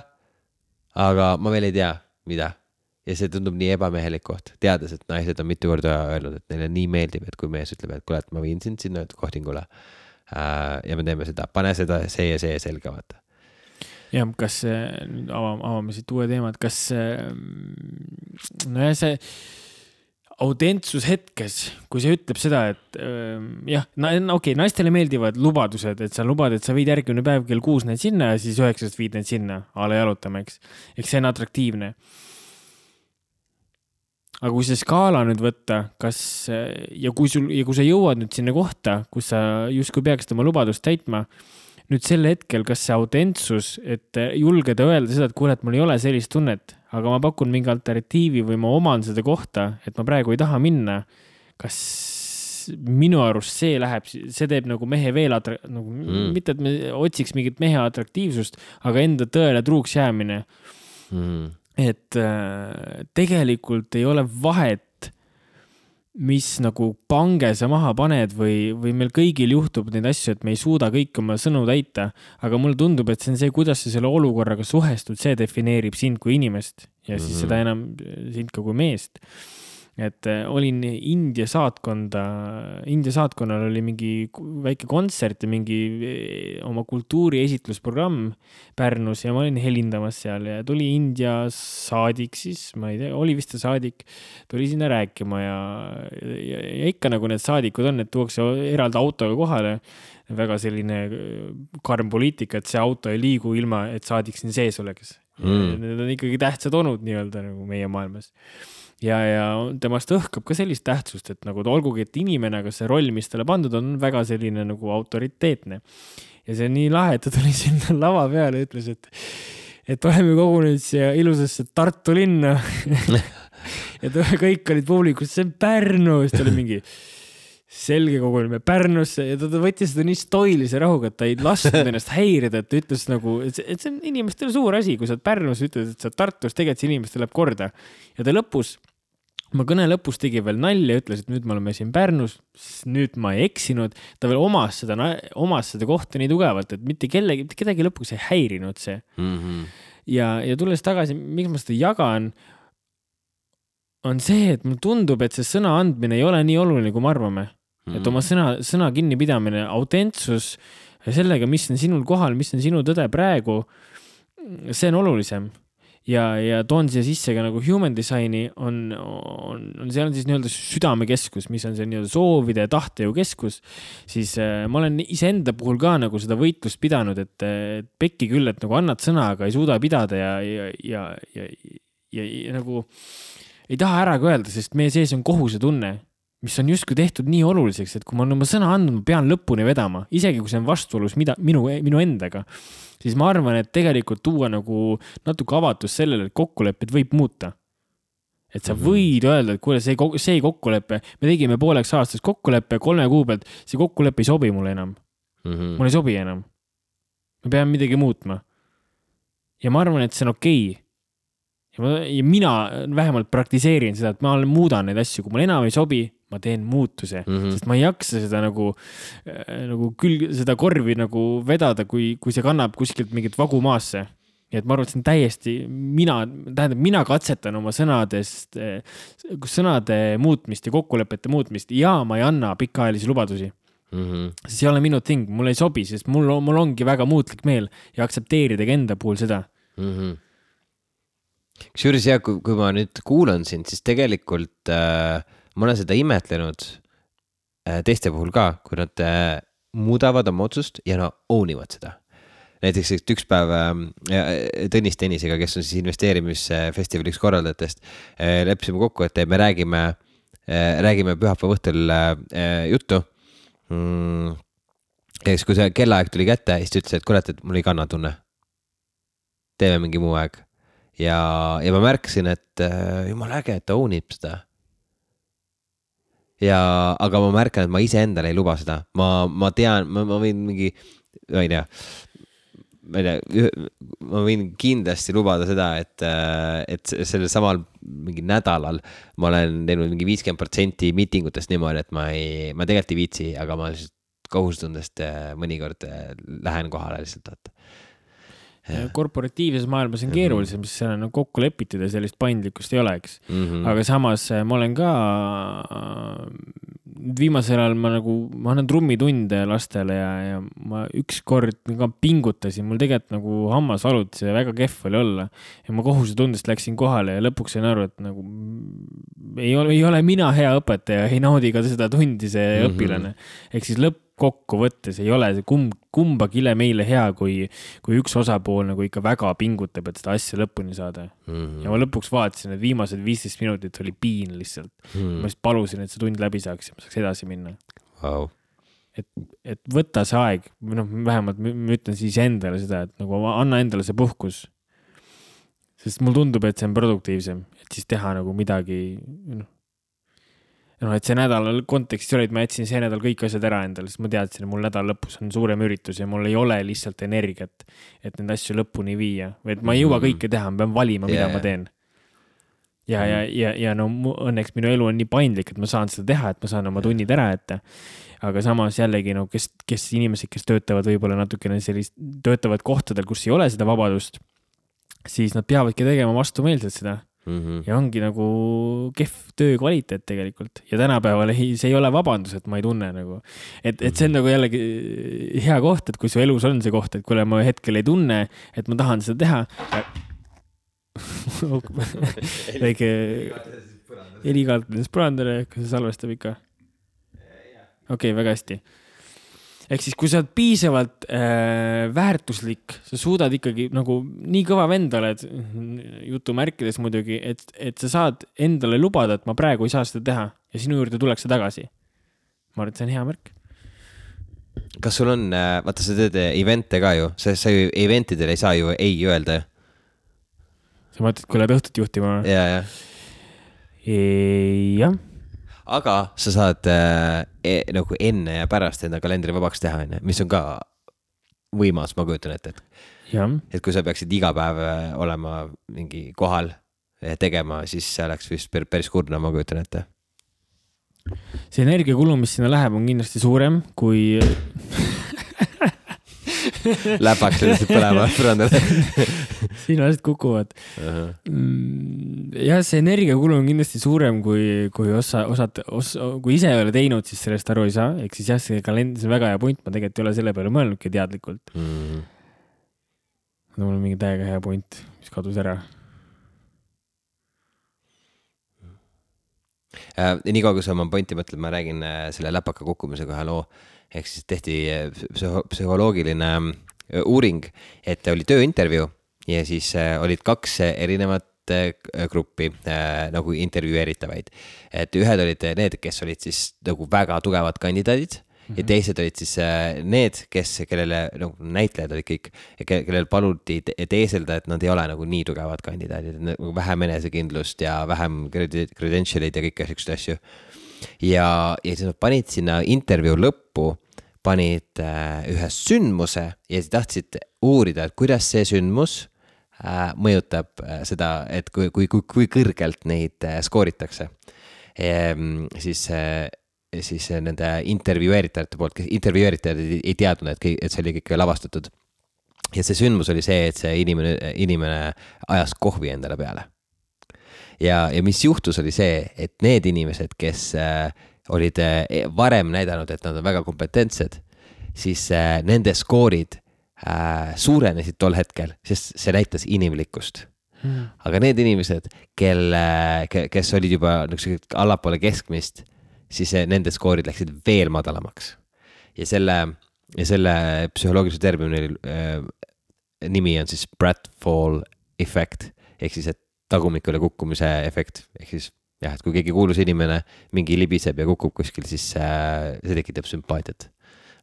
aga ma veel ei tea, mida. Ja see tundub nii ebamehelik koht, teades, et naised on mitu korda öelnud, et neile nii meeldib, et kui mees ütleb, et kuule, et ma viin sind sinna kohtingule äh, ja me teeme seda, pane seda, see ja see selga, vaata. Ja, kas nüüd avame, avame siit uue teemad, kas no ja see autentsus hetkes, kui see ütleb seda, et jah, okei, okay, naistele meeldivad lubadused, et sa lubad, et sa viid järgmine päev kell kuus need sinna ja siis üheksast viid need sinna, ala jalutama, eks. Eks see on atraktiivne. Aga kui see skaala nüüd võtta, kas, ja kui, sul, ja kui sa jõuad nüüd sinna kohta, kus sa justkui peaksid oma lubadust täitma, nüüd sel hetkel, kas see autentsus, et julgeda öelda seda, et kuule, et mul ei ole sellist tunnet, aga ma pakun mingi alternatiivi või ma oman seda kohta, et ma praegu ei taha minna, kas minu arust see läheb, see teeb nagu mehe veel atrak-, nagu, mm. mitte, et me otsiks mingit mehe atraktiivsust, aga enda tõele truuks jäämine. Mm. Et äh, tegelikult ei ole vahet, mis nagu pange sa maha paned või, või meil kõigil juhtub neid asju, et me ei suuda kõik oma sõnu täita, aga mulle tundub, et see on see, kuidas sa selle olukorraga suhestud, see defineerib sind kui inimest ja siis mm-hmm. seda enam sind ka kui meest. Et äh, olin India saatkonda, India saatkonnal oli mingi väike kontsert ja mingi oma kultuuri esitlusprogramm Pärnus ja ma olin helindamas seal ja tuli India saadik siis, ma ei tea, oli vist see saadik, tuli sinna rääkima ja, ja, ja ikka nagu need saadikud on, et tuuakse eraldi autoga kohale, väga selline karm poliitika, et see auto ei liigu ilma, et saadik siin sees oleks. Mm. Need on ikkagi tähtsad onud nii-öelda nagu meie maailmas. Ja, ja temast õhkab ka sellist tähtsust, et nagu olgugi, et inimene, aga see roll, mis talle pandud on väga selline nagu autoriteetne. Ja see on nii lahe, et ta tuli sinna lava peale ja ütles, et, et oleme kogunenud siia ilusasse Tartu linna. ja ta, kõik olid publikus, see on Pärnu, siis ta oli mingi selge koguneme Pärnusse ja ta, ta võttis seda nii stoilise rahuga, et ta ei lasknud ennast häirida, et ta ütles nagu, et see, et see on inimestele suur asi, kui sa Pärnus ütled, et sa Tartus, tegelikult see inimestele läheb korda. Ja ta lõpus, ma kõne lõpus tegi veel nalja ja ütles, et nüüd me oleme siin Pärnus, nüüd ma ei eksinud, ta veel omas seda, omas seda kohta nii tugevalt, et mitte kellegi, mitte kedagi lõpuks ei häirinud see. Mm-hmm. Ja, ja tulles tagasi, miks ma seda jagan, on see, et mulle tundub, et see sõna andmine ei ole nii oluline, kui me arvame. Mm-hmm. Et oma sõna, sõna kinnipidamine, autentsus sellega, mis on sinul kohal, mis on sinu tõde praegu, see on olulisem. Ja, ja toon siia sisse ka nagu human designi on, on, on seal on siis nii-öelda südamekeskus, mis on see nii-öelda soovide ja tahtejõu keskus, siis äh, ma olen iseenda puhul ka nagu seda võitlust pidanud, et, et pekki küll, et nagu annad sõna, aga ei suuda pidada ja, ja, ja, ja, ja, ja nagu ei taha ära ka öelda, sest meie sees on kohuse tunne, mis on justkui tehtud nii oluliseks, et kui ma olen oma sõna andnud, ma pean lõpuni vedama, isegi kui see on vastuolus mida, minu, minu endaga, siis ma arvan, et tegelikult tuua nagu natuke avatus sellele, et kokkulepped võib muuta. Et sa võid öelda, et kuule, see, see kokkuleppe, me tegime pooleks aastas kokkuleppe kolme kuu pealt, see kokkuleppe ei sobi mulle enam. Mm-hmm. Mulle ei sobi enam. Me peame midagi muutma. Ja ma arvan, et see on okei. Ja, ma, ja mina vähemalt praktiseerin seda, et ma muudan neid asju, kui mulle enam ei sobi, ma teen muutuse, mm-hmm. sest ma ei jaksa seda nagu, nagu küll seda korvi nagu vedada, kui, kui see kannab kuskilt mingit vagu maasse. Ja et ma arvan, et see on täiesti, mina, tähendab, mina katsetan oma sõnadest, sõnade muutmist ja kokkulepete muutmist ja ma ei anna pikaajalisi lubadusi. Mm-hmm. See ei ole minu ting, mul ei sobi, sest mul, mul ongi väga muutlik meel ja aktsepteerida enda puhul seda. Mm-hmm. Kusjuures ja, kui, kui ma nüüd kuulan sind, siis tegelikult äh, ma olen seda imetlenud äh, teiste puhul ka, kui nad äh, muudavad oma otsust ja no own ivad seda. Näiteks üks päev Tõnis Tennisega, kes on siis investeerimisfestivali üks korraldajatest, leppisime kokku, et me räägime, räägime pühapäeva õhtul juttu. Ja siis, kui see kellaaeg tuli kätte, siis ta ütles, et kurat, et mul ei kanna tunne. Teeme mingi muu aeg. Ja, ja ma märkasin, et jumal äge, et ta ownib seda. Ja, aga ma märkan, et ma ise endale ei luba seda. Ma, ma tean, ma, ma võin mingi, ma ei tea, ma ei tea, ma võin kindlasti lubada seda, et, et sellel samal mingi nädalal ma olen teinud mingi viiskümmend protsenti miitingutest niimoodi, et ma ei, ma tegelikult ei viitsi, aga ma lihtsalt kohustundest mõnikord lähen kohale lihtsalt, vaata. Korporatiivses maailmas on keerulisem, mis seal on kokku lepitud ja sellist paindlikkust ei oleks. Mm-hmm. Aga samas ma olen ka viimasel ajal ma nagu, ma annan trummitunde lastele ja, ja ma üks kord ka pingutasin, mul tegelikult nagu hammas valutas ja väga kehv oli olla. Ja ma kohusetundest läksin kohale ja lõpuks sain aru, et nagu ei ole, ei ole mina hea õpetaja, ei naudi ka seda tundi see mm-hmm. õpilane. Ehk siis lõpp kokku võttes ei ole see kumb, kumbagi ile meile hea, kui, kui üks osapool nagu ikka väga pingutab, et seda asja lõpuni saada. Mm-hmm. Ja ma lõpuks vaatasin, et viimased viisteist minutit oli piin lihtsalt. Mm-hmm. Ma just palusin, et see tund läbi saaks ja ma saaks edasi minna. Wow. Et, et võtta see aeg, noh, vähemalt ma ütlen siis endale seda, et nagu anna endale see puhkus. Sest mul tundub, et see on produktiivsem, et siis teha nagu midagi, noh, No, et see nädal kontekstis oli, et ma jätsin see nädal kõik asjad ära endale, sest ma teadsin, et mul nädal lõpus on suurem üritus ja mul ei ole lihtsalt energiat, et need asju lõpuni viia. Või et ma ei jõua kõike teha, ma pean valima, mida yeah. ma teen. Ja, ja, ja, ja no õnneks minu elu on nii paindlik, et ma saan seda teha, et ma saan oma tunnid ära ette. Aga samas jällegi, no, kes, kes inimesed, kes töötavad võib-olla natukene sellist, töötavad kohtadel, kus ei ole seda vabadust, siis nad peavadki tegema vastumeelselt seda. Mm-hmm. Ja ongi nagu kehv töö kvaliteet tegelikult. Ja tänapäeval ei, see ei ole vabandus, et ma ei tunne nagu. Et, et see on nagu jällegi hea koht, et kui su elus on see koht, et kui ma hetkel ei tunne, et ma tahan seda teha. Väike helikaartades põrandale, kas see salvestab ikka? Okei, okay, väga hästi. Ehk siis, kui sa oled piisavalt äh, väärtuslik, sa suudad ikkagi nagu nii kõva vendale, et jutumärkides muidugi, et, et sa saad endale lubada, et ma praegu ei saa seda teha ja sinu juurde tuleks see tagasi. Ma arvan, et see on hea märk. Kas sul on, vaata sa teed evente ka ju, sa, sa ju eventidele ei saa ju ei öelda. Sa mõtled, kui oled õhtut juhtima? Ja, ja. E, jah. Aga sa saad äh, e, nagu enne ja pärast enda kalendri vabaks teha, enne, mis on ka võimas, ma kujutan ette. Et, et kui sa peaksid iga päev olema mingi kohal tegema, siis see oleks vist päris kurna, ma kujutan ette. See energiakulu, mis sinna läheb, on kindlasti suurem kui... Läpaks lihtsalt põlema põrandale. Siin asjad kukuvad. Uh-huh. Ja see energiakulu on kindlasti suurem, kui, kui, osa, osad, os, kui ise ei ole teinud, siis sellest aru ei saa. Ehk siis jah, see kalend, see on väga hea point, ma tegelikult ei ole selle peale mõelnudki teadlikult. Mm. Mul on mingi täiega hea point, mis kadus ära. Äh, nii kaua, kui sa oma pointi mõtled, ma räägin selle läpaka kukkumise kohe loo. Ehk siis tehti psühholoogiline uuring, et oli tööintervjuu ja siis olid kaks erinevat gruppi nagu intervjueeritavaid. Et ühed olid need, kes olid siis nagu väga tugevad kandidaadid mm-hmm. ja teised olid siis need, kes, kellele nagu näitlejad olid kõik, kellel paluti teeselda, et nad ei ole nagu nii tugevad kandidaadid, nagu vähem enesekindlust ja vähem credentialid ja kõik sellised asju. Ja, ja siis nad panid sinna intervjuu lõppu, panid äh, ühe sündmuse ja siis tahtsid uurida, et kuidas see sündmus äh, mõjutab äh, seda, et kui, kui, kui, kui kõrgelt neid äh, skooritakse. Ehm, siis, äh, siis nende intervjueeritajate poolt, kes intervjueeritajad ei, ei teadnud, et, et see oli kõik lavastatud. Ja see sündmus oli see, et see inimene, inimene ajas kohvi endale peale. Ja, ja mis juhtus oli see, et need inimesed, kes äh, olid äh, varem näidanud, et nad on väga kompetentsed, siis äh, nende skoorid äh, suurenesid tol hetkel, sest see näitas inimlikkust. Hmm. Aga need inimesed, kel, kes olid juba allapoole keskmist, siis äh, nende skoorid läksid veel madalamaks. ja selle, ja selle psühholoogilise termini äh, nimi on siis pratfall effect, ehk siis, et tagumikule kukkumise efekt, ehk siis jah, et kui keegi kuulus inimene mingi libiseb ja kukub kuskil, siis äh, see tekitab sümpaatiat.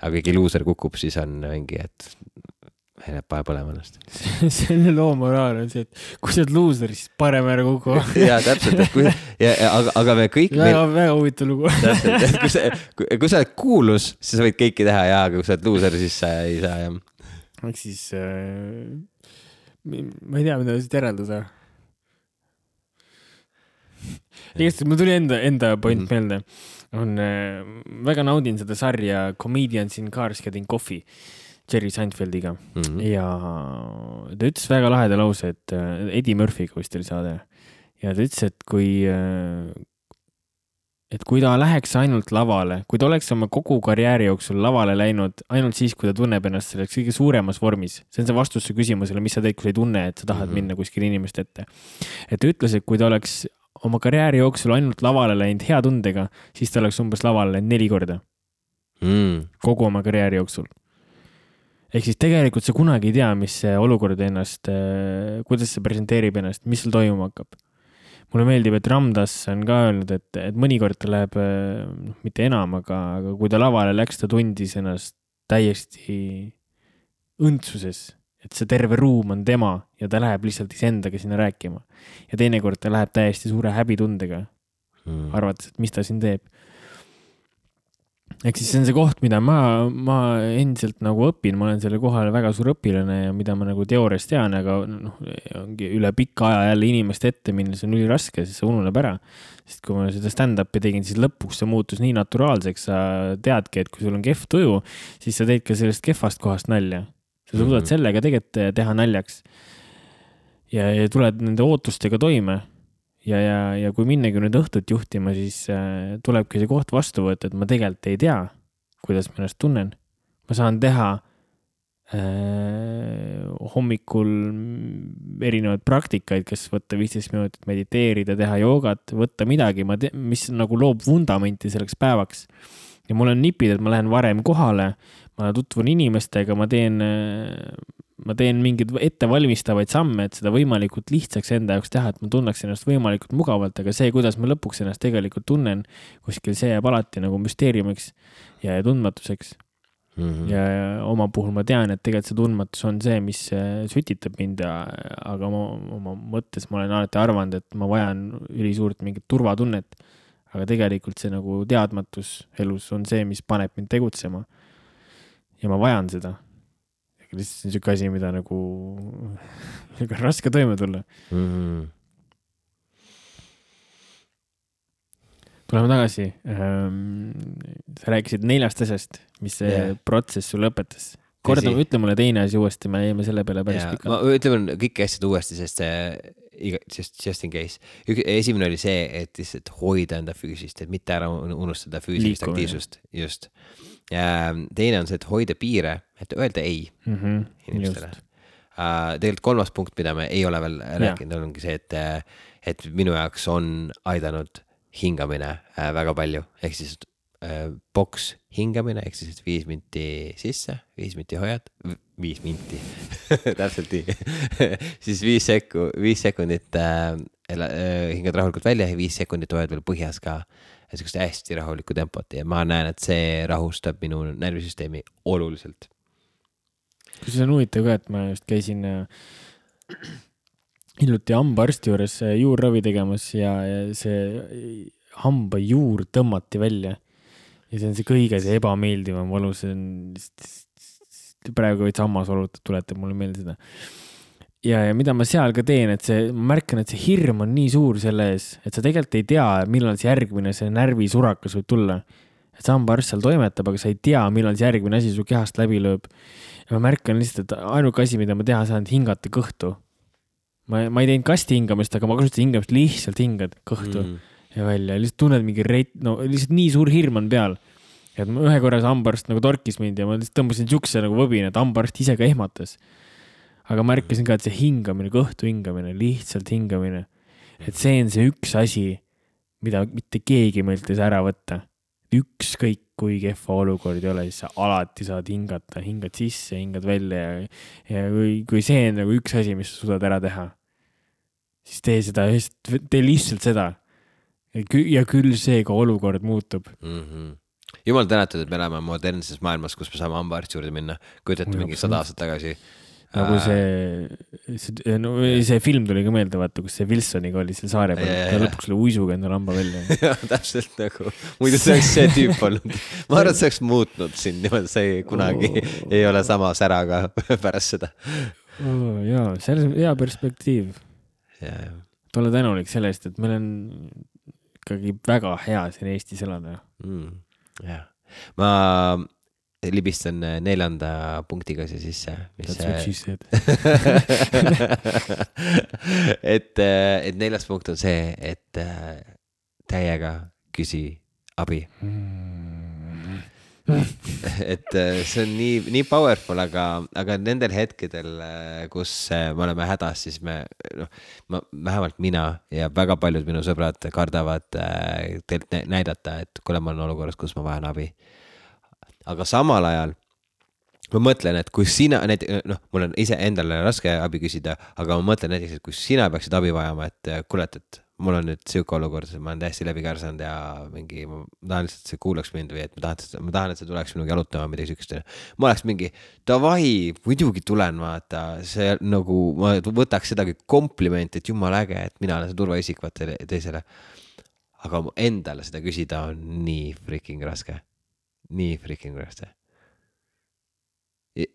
Aga keegi luuser kukub, siis on mingi, et läheb pae põlema ennast. Selle loo moraal on see, et kui sa oled luuser, siis parem ära kuku. Jaa, täpselt, et kui, ja, aga, aga me kõik... Väga, meil... väga huvitav lugu. Täpselt, et kui sa, kui, kui sa oled kuulus, siis sa võid kõiki teha, jaa, aga kui sa oled luuser, siis sa ei saa, jah. Ehk siis, äh, ma ei tea, mida siit järeldada. Igast, mul tuli enda, enda point mm-hmm. meelde. On, äh, väga naudin seda sarja Comedians in Cars Getting Coffee Jerry Seinfeldiga. Mm-hmm. Ja ta ütles väga laheda lause, et äh, Eddie Murphy'ga vist oli saade. Ja ta ütles, et kui, äh, et kui ta läheks ainult lavale, kui ta oleks oma kogu karjääri jooksul lavale läinud ainult siis, kui ta tunneb ennast selleks kõige suuremas vormis. See on see vastus su küsimusele, mis sa teed, kui sa ei tunne, et sa tahad mm-hmm. minna kuskil inimest ette. Et ta ütles, et kui ta oleks oma karjääri jooksul ainult lavale läinud hea tundega, siis ta oleks umbes lavale läinud neli korda. Mm. Kogu oma karjääri jooksul. Ehk siis tegelikult sa kunagi ei tea, mis see olukord ennast, kuidas see presenteerib ennast, mis seal toimuma hakkab. Mulle meeldib, et Ramdas on ka öelnud, et, et mõnikord ta läheb, no, mitte enam, aga, aga kui ta lavale läks, ta tundis ennast täiesti õndsuses. Et see terve ruum on tema ja ta läheb lihtsalt iseendaga sinna rääkima. Ja teinekord ta läheb täiesti suure häbitundega, hmm. arvates, et mis ta siin teeb. Ehk siis see on see koht, mida ma, ma endiselt nagu õpin, ma olen selle kohal väga suur õpilane ja mida ma nagu teoorias tean, aga noh, ongi üle pikka aja jälle inimeste ette minna, see on üli raske, siis see ununeb ära. Sest kui ma seda stand-upi tegin, siis lõpuks see muutus nii naturaalseks, sa teadki, et kui sul on kehv tuju, siis sa teed ka sellest kehvast kohast nalja. Sa suudad mm-hmm. sellega tegelikult teha naljaks ja, ja tuled nende ootustega toime ja, ja, ja kui minnagi nüüd õhtut juhtima, siis äh, tulebki see koht vastu võtta, et ma tegelikult ei tea, kuidas ma ennast tunnen. Ma saan teha äh, hommikul erinevaid praktikaid, kes võtta viisteist minutit mediteerida, teha joogat, võtta midagi, ma te- mis nagu loob vundamenti selleks päevaks. Ja mul on nipid, et ma lähen varem kohale, ma tutvun inimestega, ma teen, ma teen mingeid ettevalmistavaid samme, et seda võimalikult lihtsaks enda jaoks teha, et ma tunneks ennast võimalikult mugavalt, aga see, kuidas ma lõpuks ennast tegelikult tunnen, kuskil see jääb alati nagu müsteeriumiks ja tundmatuseks. Mm-hmm. Ja oma puhul ma tean, et tegelikult see tundmatus on see, mis sütitab mind, aga oma, oma mõttes ma olen alati arvanud, et ma vajan ülisuurt mingit turvatunnet. Aga tegelikult see nagu teadmatus elus on see, mis paneb mind tegutsema. Ja ma vajan seda. Lihtsalt see on siuke asi, mida nagu raske toime tulla. Mm-hmm. Tuleme tagasi. Sa rääkisid neljast asjast, mis see yeah. protsess sul lõpetas. Korda, ütle mulle teine asi uuesti, me jäime selle peale päris yeah. pikalt. Ma ütleme kõik asjad uuesti, sest see Just, just in case. Esimene oli see, et lihtsalt hoida enda füüsist, et mitte ära unustada füüsilist aktiivsust. Just. Ja teine on see, et hoida piire, et öelda ei mm-hmm. inimestele. Uh, tegelikult kolmas punkt, mida me ei ole veel rääkinud, ongi see, et, et minu jaoks on aidanud hingamine uh, väga palju. Ehk siis uh, boks hingamine, ehk siis viis minti sisse, viis minti hoiad, viis minti, täpselt nii, siis viis, sekku, viis sekundit äh, äh, hingad rahulikult välja ja viis sekundit hoiad veel põhjas ka sellist hästi rahulikku tempot ja ma näen, et see rahustab minu närvisüsteemi oluliselt. Kui see on huvitav ka, et ma just käisin äh, hiljuti hambaarsti juures juurravi tegemas ja, ja see hamba juur tõmmati välja ja see on see kõige see ebameeldivam valu, see on praegu võid sammas olutud, tuletab mulle meelde seda. Ja, ja mida ma seal ka teen, et see, ma märkan, et see hirm on nii suur selle ees, et sa tegelikult ei tea, millal see järgmine see närvisurakas võib tulla. Et sambaarst seal toimetab, aga sa ei tea, millal see järgmine asi su kehast läbi lööb. Ja ma märkan lihtsalt, et ainuke asi, mida ma teha saan, hingata kõhtu. Ma, ma ei teinud kasti hingamist, aga ma kasutasin hingamist, lihtsalt hingad kõhtu mm. ja välja. Lihtsalt tunned mingi reit, no lihtsalt nii suur hirm on peal. Et ühe korras hambaarst nagu torkis mind ja ma lihtsalt tõmbasin tšukse nagu võbin, et hambaarst ise ka ehmatas. Aga märkasin ka, et see hingamine, kõhtu hingamine, lihtsalt hingamine. Et see on see üks asi, mida mitte keegi meilt ei saa ära võtta. ükskõik kui kehva olukord ei ole, siis sa alati saad hingata, hingad sisse, hingad välja ja, ja kui, kui see on nagu üks asi, mis sa suudad ära teha, siis tee seda, tee lihtsalt seda. Ja küll see ka olukord muutub. Mm-hmm. Jumal tänatud, et me elame modernses maailmas, kus me saame hambaarsti juurde minna. Kujutate mingi sada aastat tagasi. Nagu see, see, no, see film tuli ka meelde, vaata, kus see Wilsoniga oli seal saare peal, ja lõpuks oli uisuga enda lamba välja. Ja, täpselt nagu. Muidu see oleks see tüüp olnud. Ma arvan, et see oleks muutnud siin, niimoodi see kunagi oh. ei ole sama säraga pärast seda. Oh, jaa, see on hea perspektiiv. Ja, ja. Tule tänulik sellest, et meil on ikkagi väga hea siin Eestis elada. Mm, jah. Ma libistan neljanda punktiga see sisse. That's what she said. et, et neljas punkt on see, et täiega küsi abi. Mm. et see on nii, nii powerful, aga, aga nendel hetkedel, kus me oleme hädas, siis me, no, ma, vähemalt mina ja väga paljud minu sõbrad kardavad teilt näidata, et kuule, ma olen olukorras, kus ma vajan abi. Aga samal ajal ma mõtlen, et kui sina, noh, mul on ise endale raske abi küsida, aga ma mõtlen näiteks, et kui sina peaksid abi vajama, et kuulet, et mul on nüüd siuke olukord, ma olen täiesti läbi kärsanud ja mingi, ma tahan lihtsalt, et see kuulaks mind või et ma tahan, ma tahan, et see tuleks minugi jalutama midagi sükest. Ma oleks mingi, davai, muidugi tulen vaata, see nagu, ma võtaks sedagi kompliment, et jumal äge, et mina olen see turvaisik vaata teisele. Aga endale seda küsida on nii freaking raske. Nii freaking raske.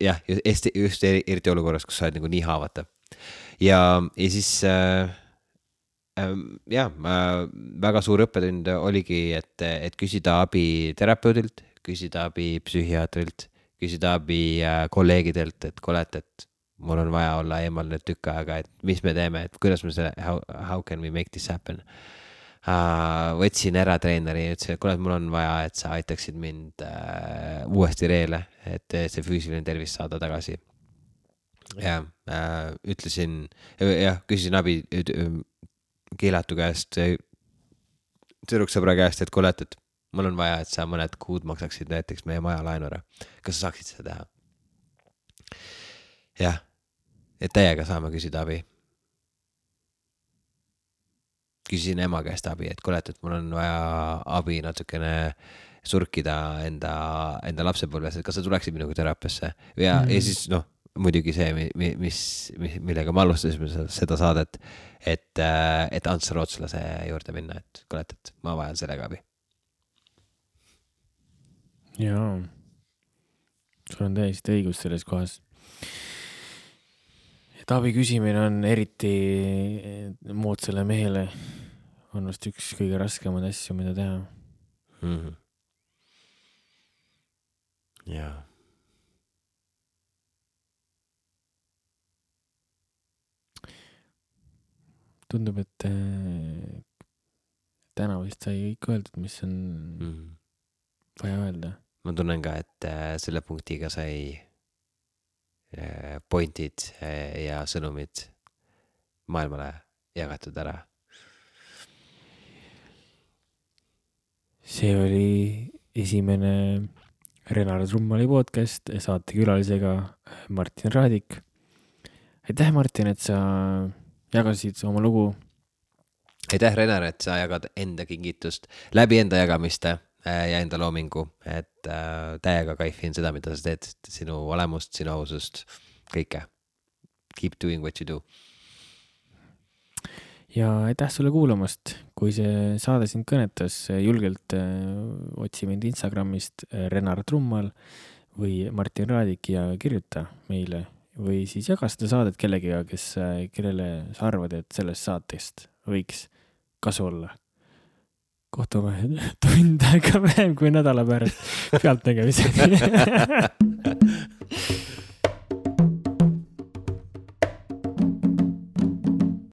Jah, just, just eriti olukorras, kus sa oled nagu nii haavata. Ja, ja siis, äh, äh, jah, äh, väga suur õppetund oligi, et, et küsida abi terapeudilt, küsida abi psühhiaatrilt, küsida abi äh, kolleegidelt, et kuulet, et mul on vaja olla eemal nüüd tükk aega, et mis me teeme, et kuidas me selle, how, how can we make this happen? Uh, võtsin ära treeneri ja ütlesin, et kuule, mul on vaja, et sa aitaksid mind uh, uuesti reele, et see füüsiline tervis saada tagasi. Ja uh, ütlesin, jah, küsisin abi keelatu käest, tüdruksõbra käest, et kuule, et mul on vaja, et sa mõned kuud maksaksid näiteks meie maja laenu ära. Kas sa saaksid seda teha? Jah, et täiega saame küsida abi. Küsisin ema käest abi, et kuule, et mul on vaja abi natukene surkida enda, enda lapsepõlves, et kas sa tuleksid minuga teraapiasse. Ja, mm. ja siis, noh, muidugi see, mis, mis, millega ma alustasime seda saadet, et, et Ants Rootslase juurde minna, et kuule, et ma vajan sellega abi. Jaa, sul on täiesti õigus selles kohas. Et abi küsimine on eriti moodsale mehele on vast üks kõige raskemad asju, mida teha. Mm-hmm. Jaa. Tundub, et äh, täna vist sai kõik öeldud, mis on mm-hmm. vaja öelda. Ma tunnen ka, et äh, selle punktiga sai pointid ja sõnumid maailmale jagatud ära. See oli esimene Renar Trummali podcast saate külalisega Martin Raadik. Aitäh, Martin, et sa jagasid oma lugu. Aitäh, Renar, et sa jagad enda kingitust läbi enda jagamiste ja enda loomingu, et äh, täiega kaifin seda, mida sa teed, sinu olemust, sinu ausust, kõike. Keep doing what you do. Ja aitäh sulle kuulamast. Kui see saade sind kõnetas, julgelt äh, otsi mind Instagramist äh, Renar Trummal või Martin Raadik ja kirjuta meile või siis jaga seda saadet kellegiga, kes, äh, kellele sa arvad, et sellest saatest võiks kasu olla. Kohtume tund aega vähem kui nädala pärast pealt nägemiseni.